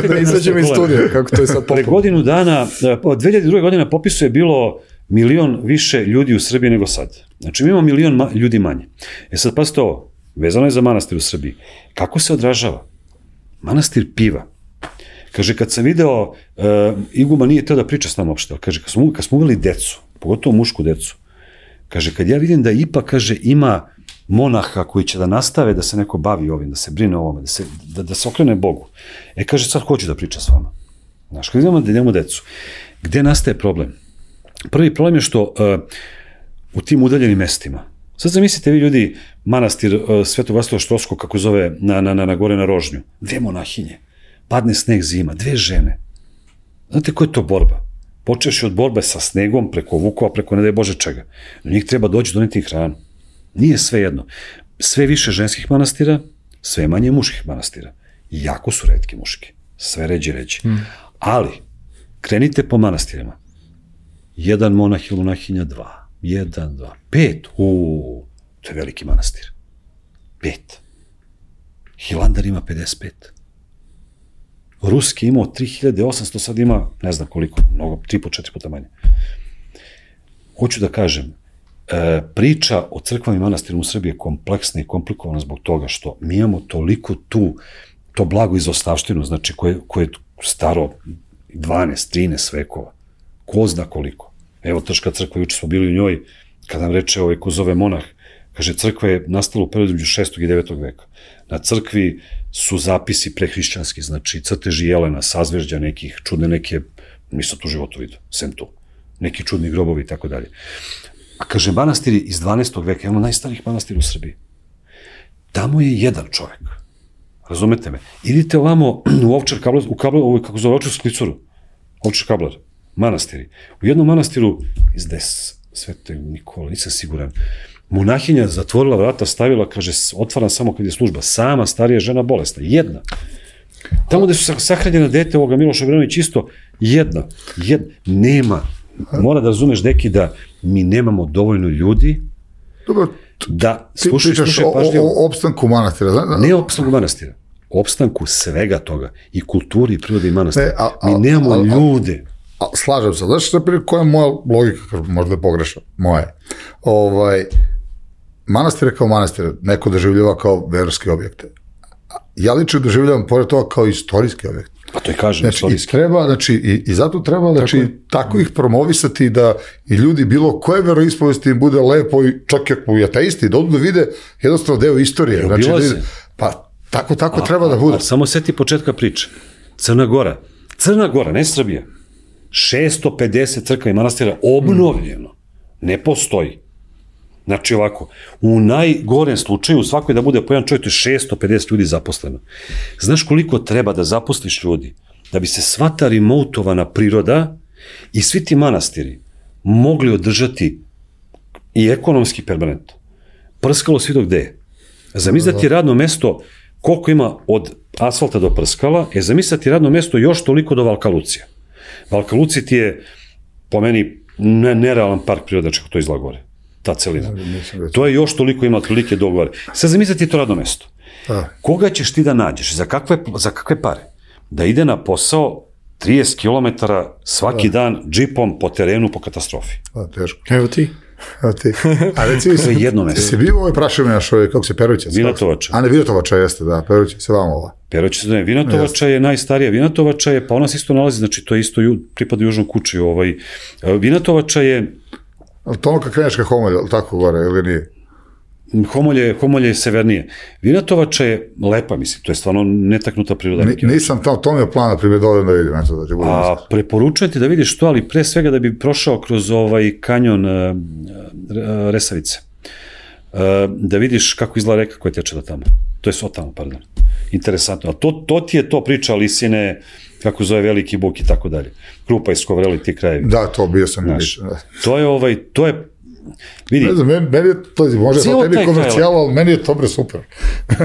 ne izađemo iz studija, kako to je sad popolo. Pre godinu dana, od dve hiljade druge. godina popisu je bilo milion više ljudi u Srbiji nego sad. Znači, mi imamo milion ma ljudi manje. E sad, pazite ovo, vezano je za manastir u Srbiji. Kako se odražava? Manastir piva. Kaže, kad sam video, uh, Iguma nije teo da priča s nama uopšte, ali kaže, kad smo, kad smo uveli decu, pogotovo mušku decu, kaže, kad ja vidim da ipak, kaže, ima monaha koji će da nastave da se neko bavi ovim, da se brine o ovome, da se, da, da se okrene Bogu. E, kaže, sad hoću da priča s vama. Znaš, kad idemo da idemo decu, gde nastaje problem? Prvi problem je što uh, u tim udaljenim mestima, sad zamislite vi ljudi, manastir uh, Svetog Vasilija Štroskog, kako zove, na, na, na, na gore na Rožnju, dve monahinje, padne sneg zima, dve žene. Znate koja je to borba? Počeš od borbe sa snegom, preko vukova, preko ne daj Bože čega. Do njih treba doći doneti hranu. Nije sve jedno. Sve više ženskih manastira, sve manje muških manastira. Jako su retki muški. Sve ređi ređi. Hmm. Ali, krenite po manastirima. Jedan monah ili monahinja, dva. Jedan, dva. Pet. Uuu, to je veliki manastir. Pet. Hilandar ima pedeset pet. Ruski imao tri hiljade osamsto, sad ima ne znam koliko, mnogo, tri po četiri puta manje. Hoću da kažem, e, priča o crkvama i manastirima u Srbiji je kompleksna i komplikovana zbog toga što mi imamo toliko tu, to blago izostavštinu, znači koje, koje je staro dvanaest trinaest vekova. Ko zna koliko. Evo Trška crkva, juče smo bili u njoj, kad nam reče ovaj ko zove monah, kaže, crkva je nastala u periodu između šestog i devetog veka. Na crkvi su zapisi prehrišćanski, znači crteži jelena, sazvežđa nekih, čudne neke, nisam tu životu vidio, sem tu, neki čudni grobovi i tako dalje. A kaže, manastiri iz dvanaestog veka, imamo najstarijih manastira u Srbiji. Tamo je jedan čovek, razumete me, idite ovamo u Ovčar Kablar, u Kablar, ovo kako zove Ovčarsku klicuru, Ovčar Kablar, manastiri. U jednom manastiru izde Svetog Nikola, nisam siguran, monahinja zatvorila vrata, stavila, kaže, otvaram samo kad je služba, sama starija žena bolesna, jedna. Tamo gde su sahranjena dete ovoga Miloša Obrenović isto, jedna, jedna, nema. Mora da razumeš, deki, da mi nemamo dovoljno ljudi. Dobro, da ti slušaj, pričaš slušaj, o, o opstanku manastira. Zna? Ne opstanku manastira, opstanku svega toga, i kulturi, i prirode i manastira. Ne, a, a, mi nemamo a, a, ljude. A, slažem se, znaš koja je moja logika, možda je pogrešna, moja. Ovaj, manastire kao manastire, neko doživljava kao verske objekte. Ja lično doživljavam pored toga kao istorijski objekt. Pa to i kažem, znači, istorijski. I, treba, znači, i, i zato treba znači, tako, tako ih promovisati da i ljudi bilo koje veroispovesti im bude lepo i čak i ako i ateisti, da odu da vide jednostavno deo istorije. Znači, da ide, pa tako, tako a, treba da bude. A, a, samo seti početka priče. Crna Gora. Crna Gora, ne Srbija. šesto pedeset crkva i manastira obnovljeno. Hmm. Ne postoji. Znači ovako, u najgorem slučaju u svakoj da bude po jedan čovjek, to je šesto pedeset ljudi zaposleno. Znaš koliko treba da zaposliš ljudi da bi se sva ta remotovana priroda i svi ti manastiri mogli održati i ekonomski permanentno. Prskalo svi dok gde je. Zamisli da ti radno mesto, koliko ima od asfalta do Prskala, je zamisli da ti radno mesto još toliko do Valka Lucija. Valka Lucija ti je, po meni, ne, nerealan park priroda, čeko to izgleda gore. Ta celina. To je još toliko ima otprilike do gore. Sad zamisli ti to radno mesto. A. Koga ćeš ti da nađeš? Za kakve, za kakve pare? Da ide na posao trideset kilometara svaki a. dan džipom po terenu po katastrofi. A, teško. Evo ti. Evo ti. A reci mi se, jedno mesto. Se bio ovaj prašivljaš, kako se Perovića? Vinatovača. A ne, Vinatovača jeste, da. Perovića se vam ova. Perovića se ne. Vinatovača je najstarija. Vinatovača je, pa ona se isto nalazi, znači to je isto ju, pripada Južnom kući. Ovaj. Vinatovača je ali to ono kad kreneš ka Homolje, ali tako gore, ili nije? Homolje, Homolje je severnije. Vinatovača je lepa, mislim, to je stvarno netaknuta priroda. Ni, nisam tamo, to mi je plan, na primjer, dovoljno da vidim. Eto, da ti a preporučujem ti da vidiš to, ali pre svega da bi prošao kroz ovaj kanjon uh, Resavice. Uh, da vidiš kako izgleda reka koja teče da tamo. To je Sotamo, pardon. Interesantno. A to, to ti je to priča Lisine, kako zove Veliki Buk i tako dalje. Krupa i Skovreli, ti krajevi. Da, to bio sam znaš, da. To je ovaj, to je, vidi. Ne znam, meni, meni je to, može to tebi komercijala, ali meni je to bre super.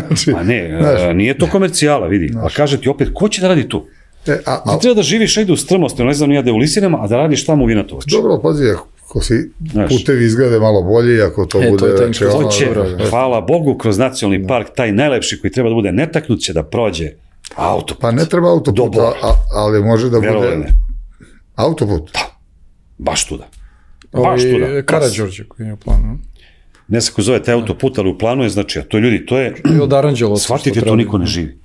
znači, a ne, znaš, nije to komercijala, vidi. Znaš. A kaže ti opet, ko će da radi tu? E, a, a, ti treba da živiš negde u strmosti, ne znam, nijade u Lisinama, a da radiš tamo u Vinatovaču. Dobro, pazi, ako si putevi izglede malo bolji, ako to e, bude... To je to, to će, hvala Bogu, kroz nacionalni park, taj najlepši koji treba da bude netaknut će da prođe autoput. Pa ne treba autoput, a, ali može da Verovali bude... Ne. Autoput? Da, baš tuda. Baš tuda. Karađorđe koji je u planu. Ne znam ko zove taj autoput, ali u planu je, znači, a to ljudi, to je... od Aranđela. Shvatite, to niko ne živi.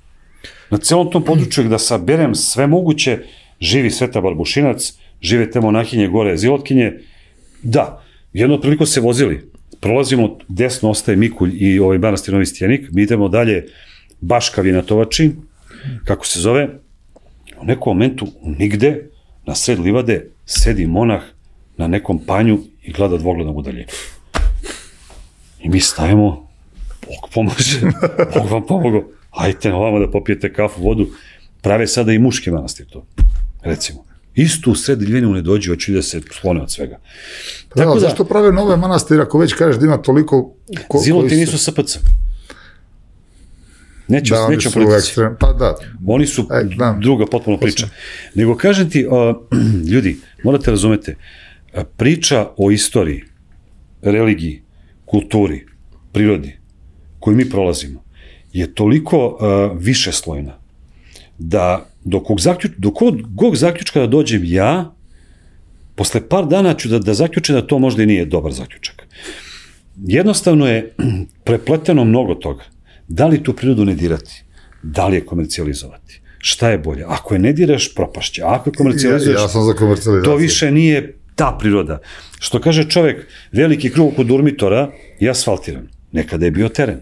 Na celom tom području da saberem sve moguće, živi Sveta Barbušinac, žive te monahinje gore Zilotkinje. Da, jedno priliko se vozili, prolazimo, desno ostaje Mikulj i ovaj manastir Novi Stijenik, mi idemo dalje Baška Vinatovači, kako se zove, u nekom momentu nigde, na sred livade, sedi monah na nekom panju i gleda dvogledom udaljinu. I mi stajemo, Bog pomaže, Bog vam pomogao, hajte na ovamo da popijete kafu, vodu, prave sada i muški manastir to, recimo. Isto u sred Ljivinu ne dođe, hoću da se sklone od svega. Da, tako da, zašto prave nove manastire, ako već kažeš da ima toliko... Ko, Ziloti nisu S P C. Neću, da, neću politici. Pa da. Oni su e, druga potpuno priča. Nego kažem ti, uh, ljudi, morate razumete, priča o istoriji, religiji, kulturi, prirodi, koju mi prolazimo, je toliko uh, višeslojna, da do kog, zaključ, do kog, kog zaključka da dođem ja, posle par dana ću da, da zaključim da to možda i nije dobar zaključak. Jednostavno je prepleteno mnogo toga. Da li tu prirodu ne dirati? Da li je komercijalizovati? Šta je bolje? Ako je ne diraš, propašće. Ako je komercijalizuješ, ja, ja sam za komercijalizaciju. To više nije ta priroda. Što kaže čovek, veliki krug oko Durmitora je asfaltiran. Nekada je bio teren.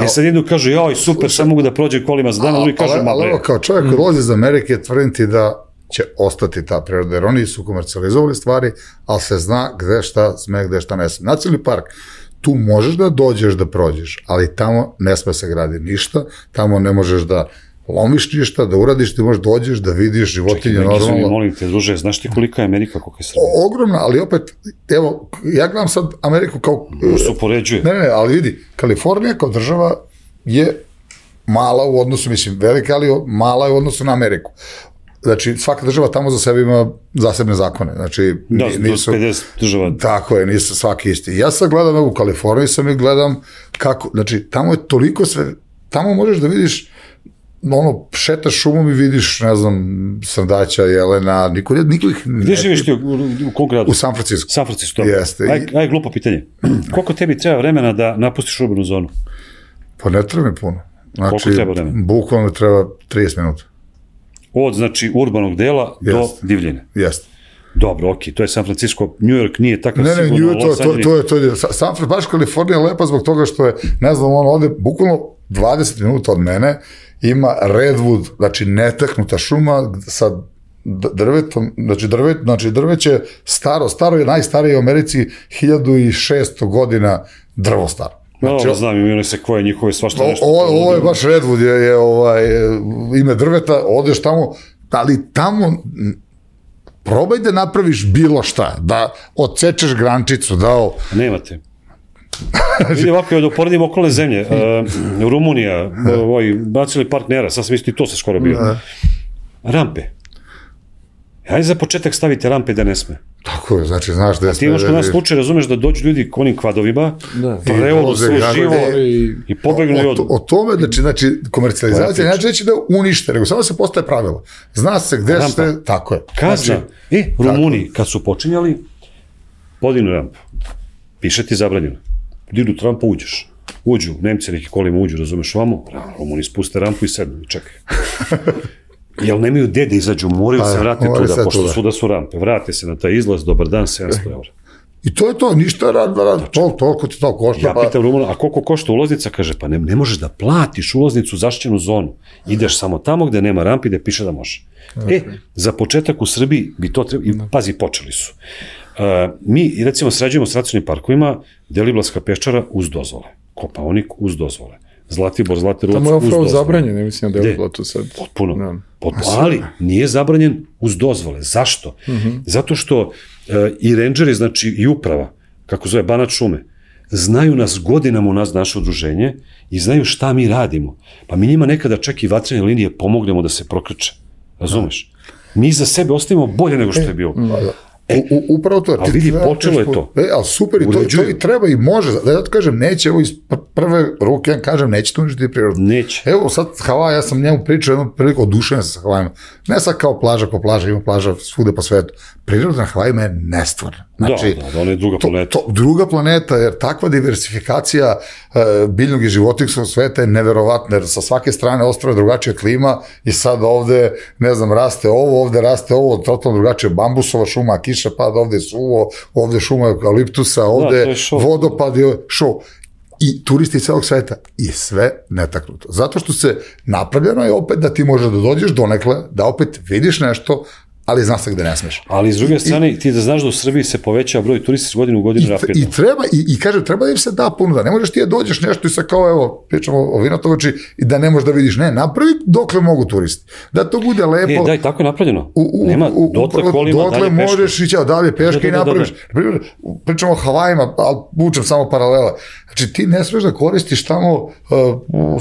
Ja, sad jednu kažu, joj, super, sad mogu da prođe kolima za dan, a drugi kažu, ma bre. Ali kao čovjek koji dolazi iz Amerike, tvrdim ti da će ostati ta priroda, jer oni su komercijalizovali stvari, ali se zna gde šta sme, gde šta ne sme. Nacionalni park, tu možeš da dođeš da prođeš, ali tamo ne sme se gradi ništa, tamo ne možeš da lomiš ništa, da uradiš, ti možeš dođeš da vidiš životinje normalno. Čekaj, molim te, druže, znaš ti kolika je Amerika, koliko je Srbija? Ogromna, ali opet, evo, ja gledam sad Ameriku kao... Možda se upoređuje. Ne, ne, ali vidi, Kalifornija kao država je mala u odnosu, mislim, velika, ali mala je u odnosu na Ameriku. Znači, svaka država tamo za sebe ima zasebne zakone. Znači, da, nisu... pedeset država. Tako je, nisu svaki isti. Ja sad gledam u Kaliforniji, sam i gledam kako, znači, tamo je toliko sve, tamo možeš da vidiš, ono, šetaš šumom i vidiš, ne znam, srdaća, jelena, niko, niko ih ne... Gde živiš ti u, u kog gradu? U San Francisco. San Francisco, dobro. Jeste. Aj, aj, glupo pitanje. Koliko tebi treba vremena da napustiš urbanu zonu? Pa ne treba mi puno. Znači, koliko treba vremena? Bukvalno treba trideset minuta. Od, znači, urbanog dela Jest. do divljine. Jeste. Dobro, okej, to je San Francisco, New York nije takav ne, sigurno. Ne, ne, to, to, to, je, to je, San Francisco, baš Kalifornija je lepa zbog toga što je, ne znam, ono ovde, bukvalno dvadeset minuta od mene, ima redwood, znači netaknuta šuma sa drvetom, znači, drvet, znači drveće staro, staro je najstarije u Americi, hiljadu i šesto godina drvo staro. Znači, no, znam, imaju se koje njihove svašta nešto. Ovo, ovo je baš redwood, je, je ovaj, ime drveta, odeš tamo, ali tamo probaj da napraviš bilo šta, da odsečeš grančicu, da... Nemate. Vidi ovako, da uporedim okolne zemlje, uh, Rumunija, ovaj, bacili partnera, sad sam isto i to se skoro bio. Rampe. Hajde za početak stavite rampe da ne sme. Tako je, znači, znaš da je... A ti imaš kod nas slučaj, razumeš da dođu ljudi konim kvadovima, prevodu sve živo i, i pobegnu i odu. O tome, znači, znači komercijalizacija, znači neće da unište, nego samo se postaje pravilo. Zna se gde ste, tako je. Kazna, e, Rumuni, kad su počinjali, podinu rampu, piše ti zabranjeno. Dignu rampu, uđeš. Uđu, Nemci neki kolima uđu, razumeš vamo, Rumuni spuste rampu i sednu i čekaj. Jel nemaju gde da izađu, moraju se vratiti tuda, pošto su da su rampe. Vrate se na taj izlaz, dobar dan, sedamsto eura. I to je to, ništa rad, rad, to, toliko ti to košta. Ja pitam Rumuna, a koliko košta ulaznica? Kaže, pa ne, ne možeš da platiš ulaznicu u zaštićenu zonu. Ideš samo tamo gde nema rampi, gde piše da može. E, za početak u Srbiji bi to trebalo, i pazi, počeli su. Uh, mi, recimo, srađujemo s nacionalnim parkovima, Deliblatska peščara uz dozvole, Kopaonik uz dozvole, Zlatibor, Zlatiruvac uz dozvole. Tamo je upravo zabranjen, ne mislim da je to sad. Potpuno, no. potpuno, ali nije zabranjen uz dozvole. Zašto? Uh-huh. Zato što uh, i rendžeri, znači i uprava, kako zove Banat šume, znaju nas godinama u nas naše udruženje i znaju šta mi radimo. Pa mi njima nekada čak i vatrene linije pomognemo da se prokrče. Razumeš? Mi za sebe ostavimo bolje nego što je bilo. E, u, u, upravo to. Ali vidi, počelo je to. E, ali super, i to, to i treba i može. Da ja to kažem, neće, evo iz prve ruke, ja kažem, neće to uništiti prirodu. Neće. Evo sad Havaj, ja sam njemu pričao jednu priliku odušen sa Havajima. Ne sad kao plaža, kao plaža, ima plaža svude po svetu. Priroda na Havajima je nestvarna. Znači, da, da, ona je druga planeta. To, to, druga planeta, jer takva diversifikacija uh, biljnog i životinjskog sveta je neverovatna, jer sa svake strane ostrava je drugačija klima i sad ovde, ne znam, raste ovo, ovde raste ovo, totalno drugačije, bambusova šuma, kiša pada, ovde je suvo, ovde šuma eukaliptusa, ovde da, vodopad je šou. I turisti iz celog sveta i sve netaknuto. Zato što se napravljeno je opet da ti možeš da dođeš donekle, da opet vidiš nešto, ali znaš se gde ne smeš. Ali s druge strane, I, ti da znaš da u Srbiji se poveća broj turista s godinu u godinu i, rapidno. I treba, i, i kažem, treba da im se da ponuda. Ne možeš ti da dođeš nešto i sa kao, evo, pričamo o Vinatovači, i da ne možeš da vidiš. Ne, napravi dokle mogu turisti. Da to bude lepo. E, daj, tako je napravljeno. U, u, Nema, u, dotle kolima, dotle dalje peške. možeš ići, dalje peške da, da, da, i napraviš. Da, da, da. Pričamo o Havajima, ali vučem samo paralele. Znači, ti ne smeš da koristiš tamo uh,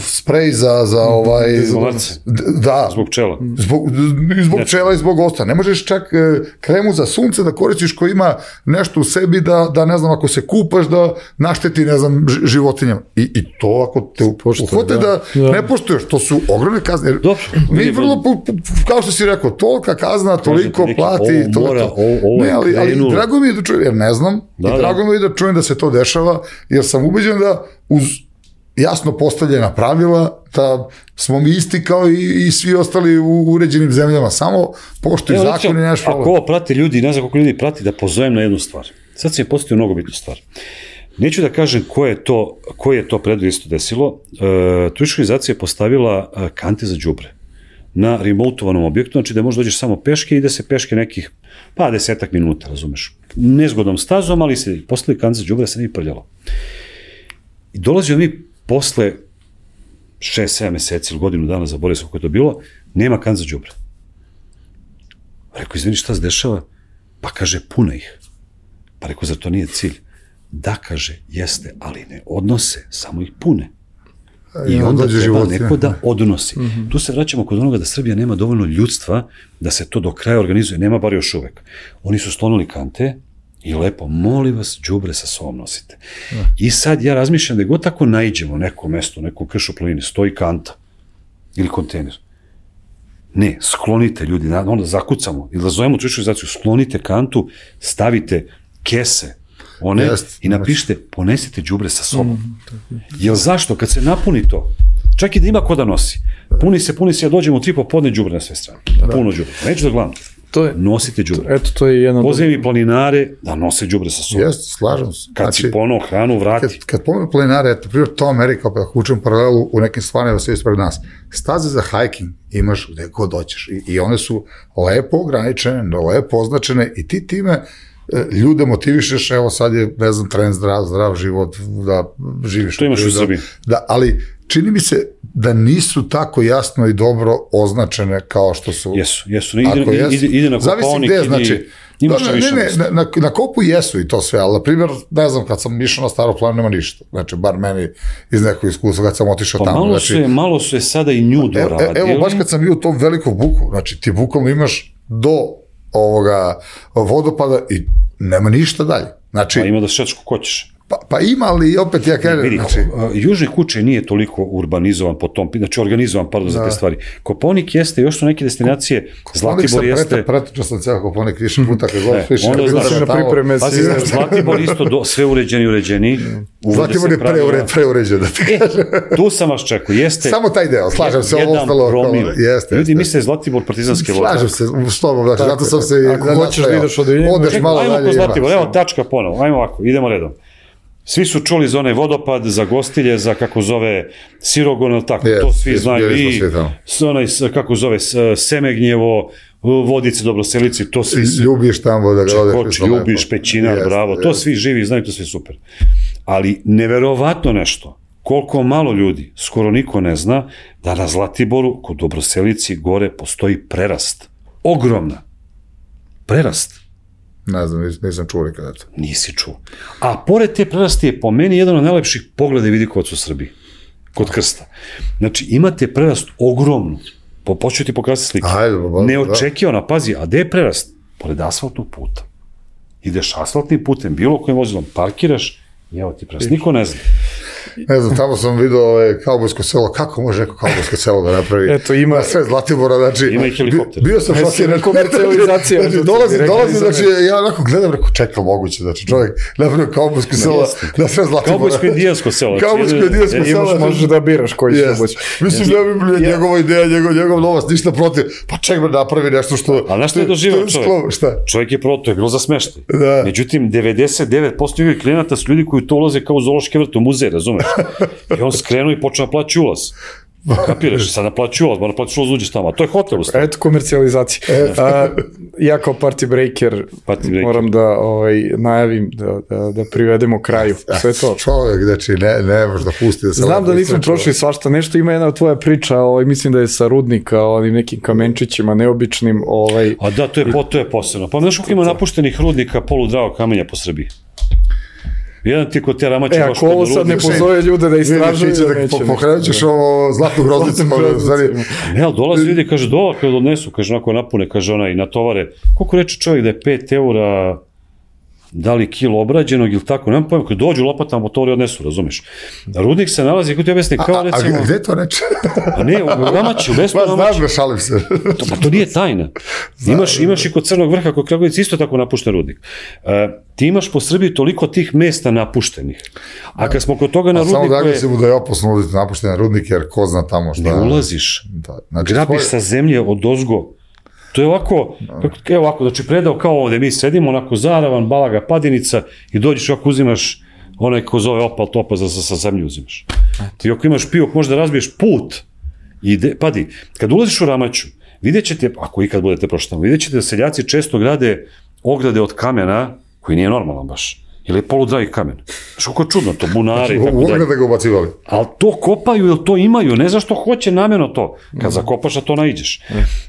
sprej za, za ovaj... Izolacije. Da. Zbog pčela. Zbog, zbog pčela i zbog osta. Ne možeš čak e, kremu za sunce da koristiš ko ima nešto u sebi da, da ne znam, ako se kupaš da našteti, ne znam, životinjama. I, i to ako te uhote da, da ne poštuješ, to su ogromne kazne. Dobro. Mi vrlo, kao što si rekao, tolika kazna, toliko neki, plati, ovo to, mora, to. Ovo, ovo ne, ali, ali drago mi je da čujem, jer ne znam, da, i drago mi je da čujem da se to dešava, jer sam ubeđen da uz jasno postavljena pravila, da smo mi isti kao i, i svi ostali u uređenim zemljama, samo poštuju zakon i nešto. Ako ovo prati ljudi, ne znam koliko ljudi prati, da pozovem na jednu stvar. Sad se je postavio mnogo bitnu stvar. Neću da kažem ko je to, ko je to predvoj isto desilo. E, turistička organizacija je postavila kante za đubre na remotovanom objektu, znači da možeš dođeš samo peške i da se peške nekih, pa desetak minuta, razumeš. Nezgodnom stazom, ali se postavili kante za đubre, da se ne prljalo. I dolazio mi posle šest sedam meseci ili godinu dana, zaboravio sam kako je to bilo, nema kante za đubre. Rekao, izvini, šta se dešava? Pa kaže, puna ih. Pa rekao, zar to nije cilj? Da, kaže, jeste, ali ne odnose, samo ih pune. I onda treba životinje. Neko da odnosi. Mm-hmm. Tu se vraćamo kod onoga da Srbija nema dovoljno ljudstva da se to do kraja organizuje. Nema bar još uvek. Oni su sklonili kante i lepo, molim vas, đubre sa sobom nosite. Mm. I sad ja razmišljam da god tako naiđemo neko mesto, neku kršu planine, stoji kanta ili kontejner. Ne, sklonite ljudi, onda zakucamo ili da zovemo turističku organizaciju, sklonite kantu, stavite kese, one, yes, i napišite, ponesite đubre sa sobom. Mm, Jel zašto? Kad se napuni to, čak i da ima ko da nosi, puni se, puni se, ja dođem u tri popodne đubre na sve strane. Da. Puno đubre. Neću da gledam. To je, nosite đubre. Eto, to je jedno... Pozivam i planinare da nose đubre sa sobom. Jeste, slažem se. Kad znači, si ponovo hranu vrati. Kad, kad pomenu planinare, eto, primjer, to Amerika, pa ako učem paralelu u nekim stvarima sve ispred nas, staze za hiking imaš gde god doćeš. I, i one su lepo ograničene, lepo označene i ti time ljude motivišeš, evo sad je, ne znam, trend zdrav, zdrav život, da živiš. To imaš u Srbiji. Da, ali čini mi se da nisu tako jasno i dobro označene kao što su. Jesu, jesu. Ide, ide, jesu, ide na Kopaonik, ide, znači, imaš ne, više. Ne, ne, na, na Kopu jesu i to sve, ali na primjer, ne znam, kad sam išao na Staro planinu, nema ništa. Znači, bar meni iz nekog iskustva, kad sam otišao pa tamo. Malo, znači, su je, malo su je sada i nju doradili. Evo, baš kad sam bio u tom velikom buku, znači, ti bukvalno imaš do ovoga vodopada i nema ništa dalje. Znači, pa ima da šetaš kako hoćeš. Pa, pa ima, ali opet ja kažem... Vidi, znači, Južni Kučaj nije toliko urbanizovan po tom, znači organizovan, pardon, za te stvari. Kopaonik jeste, još su neke destinacije, Zlatibor jeste... Pretičao sam cijel Kopaonik više puta, kad god više... Onda znaš, pazi, Zlatibor isto do, sve uređeni, uređeni. Zlatibor je preure, preuređen, da ti kažem. E, tu sam vas čekao, jeste... Samo taj deo, slažem se, ovo ostalo... Promil. Jeste, ljudi misle Zlatibor partizanske vode. Slažem se, što vam, znači, zato sam se... Ako hoćeš da ideš od odeš malo dalje. Ajmo ko Zlatibor, evo tačka ponovo, ajmo ovako, idemo redom. Svi su čuli za onaj vodopad, za Gostilje, za kako zove Sirogon, tako, yes, to svi yes, znaju i onaj, kako zove Semegnjevo, Vodice, Dobroselici, to svi... Ljubiš tamo da ga odeš. Ljubiš, Pećinar, yes, bravo, yes. To svi živi znaju, to sve super. Ali neverovatno nešto, koliko malo ljudi, skoro niko ne zna, da na Zlatiboru, kod Dobroselici, gore postoji prerast. Ogromna. Prerast. Ne znam, nisam čuo nikada to. Nisi čuo. A pored te prerasti je po meni jedan od najlepših pogleda i vidikovac u Srbiji. Kod Krsta. Znači, imate prerast ogromnu. Po, počeo ti pokazati slike. Ajde, ba, ba, neočekivana, pazi, a gde je prerast? Pored asfaltnog puta. Ideš asfaltnim putem, bilo kojim vozilom, parkiraš i evo ti prerast. Niko ne zna. Ne znam, tamo sam vidio ove kaubojsko selo, kako može neko kaubojsko selo da napravi? Eto, ima sve Zlatibora, znači... Ima i helikopter. Bio sam šokiran. Komercijalizacija. Znači, dolazi, dolazi, znači, ja onako gledam, rekao, čekaj, moguće, znači, čovjek napravio kaubojsko selo na sve Zlatibora. Kaubojsko indijansko selo. Kaubojsko indijansko selo. Imaš, možeš da biraš koji će moći. Mislim, da bi njegova ideja, njegov novac, ništa protiv. Pa ček me napravi nešto što... A nešto je doživao čovjek? Čovjek je proto, je bilo za smeštaj. Međutim, devedeset devet posto njegovih klijenata su ljudi koji to ulaze kao u zoološki vrt u muzej, razumeš? I on skrenu i počne naplaći ulaz. Kapiraš, sad naplaći ulaz, mora naplaći ulaz uđeš tamo, a to je hotel u stvari. Eto komercijalizacija. A, ja kao party breaker, party breaker. moram da ovaj, najavim da, da, da privedemo kraju. Sve to. Čovjek, znači, ne, ne možeš da pusti da se... Znam da nismo prošli svašta, nešto ima jedna tvoja priča, ovaj, mislim da je sa Rudnika, onim nekim kamenčićima neobičnim. Ovaj... A da, to je, po, to je posebno. Pa znaš koliko ima napuštenih rudnika poludravog kamenja po Srbiji? Jedan ti kod te ramače... E, ako ovo sad ne pozove ljude da istražuju, da neće. Pokrenut ćeš ovo zlatnu groznicu. Ne, ali dolazi ljudi, kaže, dola kada odnesu, kaže, onako napune, kaže ona i natovare. Koliko reče čovjek da je pet eura, da li kilo obrađenog ili tako, nemam pojma, kada dođu lopatama, motori odnesu, razumeš. Rudnik se nalazi, kako ti objasni, kao recimo... A gde to reče? A ne, u Ramači, u Besnu Ramači. Pa znam da šalim se. To, pa to nije tajna. Imaš, imaš i kod Crnog vrha, kod Kragujevac, isto tako napušten rudnik. Uh, ti imaš po Srbiji toliko tih mesta napuštenih. A kad smo kod toga na rudniku... A samo da je... Samo da je opasno ulaziti napuštene rudnike, jer ko zna tamo šta... Ne ulaziš. Da, znači, grabiš svoj... sa zemlje od ozgo. To je ovako, evo ovako, znači predao kao ovde, mi sedimo, onako zaravan, balaga, padenica i dođeš ovako uzimaš onaj ko zove opal topa za, sa zemlju uzimaš. I ako imaš pijok, možda razbiješ put i de, padi, kad ulaziš u Ramaću, vidjet ćete, ako ikad budete prošli tamo, vidjet ćete da seljaci često grade ograde od kamena, koji nije normalan baš. Ili je poludragi kamen. Znaš kako je čudno, to bunari i tako dalje. Ugde da ga ubacivali. Ali to kopaju ili to imaju, ne znaš što hoće namjerno to. Kad zakopaš, a to naiđeš.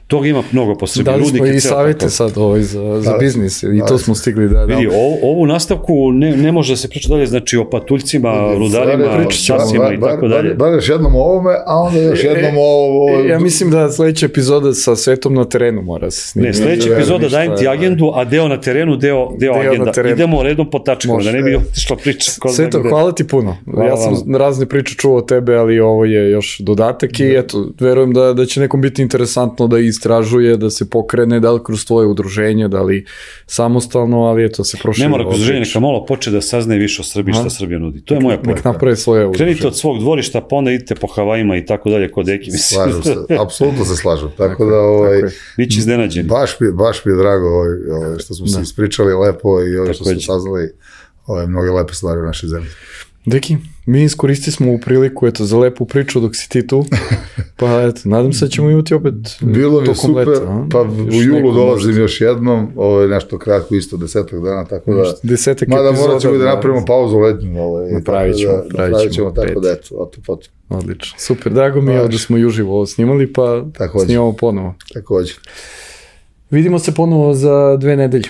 Toga ima mnogo po Srbiji. Dali smo i savjete sad ovaj za, za biznis i to smo stigli da... Vidi, ovu nastavku ne, ne može da se priča dalje, znači o patuljcima, rudarima, časima i tako dalje. Bar još jednom o ovome, a onda još jednom o ovo... Ja mislim da sledeća epizoda sa svetom na terenu mora se snimiti. Ne, sledeća epizoda dajem ti agendu, a deo na terenu, deo, deo agenda. Idemo redom po tačkama, da ne bi otišla priča. Sveto, hvala ti puno. Hvala, ja sam hvala. razne priče čuo o tebe, ali ovo je još dodatak i eto, verujem da, da će nekom biti interesantno da istražuje, da se pokrene, da li kroz tvoje udruženje, da li samostalno, ali eto, se proširi. Ne mora kroz udruženje, neka malo poče da saznaje više o Srbiji šta Srbija nudi. To je moja pojeka. Nek napravi svoje udruženje. Krenite od svog dvorišta, pa onda idite po Havajima i tako dalje kod Eki. Slažem se, apsolutno se slažem. Tako da, ovaj, biće iznenađeni. Baš mi, baš mi je drago ovaj, ovaj, što smo da. se ispričali lepo i ovo što smo saznali ove mnoge lepe stvari u našoj zemlji. Deki, mi iskoristili smo u priliku eto, za lepu priču dok si ti tu, pa eto, nadam se da ćemo imati opet bilo mi je super, leta, pa u julu dolazim možda. Još jednom, ovo je nešto kratko, isto desetak dana, tako da, desetak mada morat ćemo da napravimo pauzu letnju, ovaj, napravit ćemo, da, napravit ćemo, tako da, eto, oto, potom. Odlično, super, drago mi je da smo i uživo ovo snimali, pa također. Snimamo ponovo. Također. Vidimo se ponovo za dve nedelje.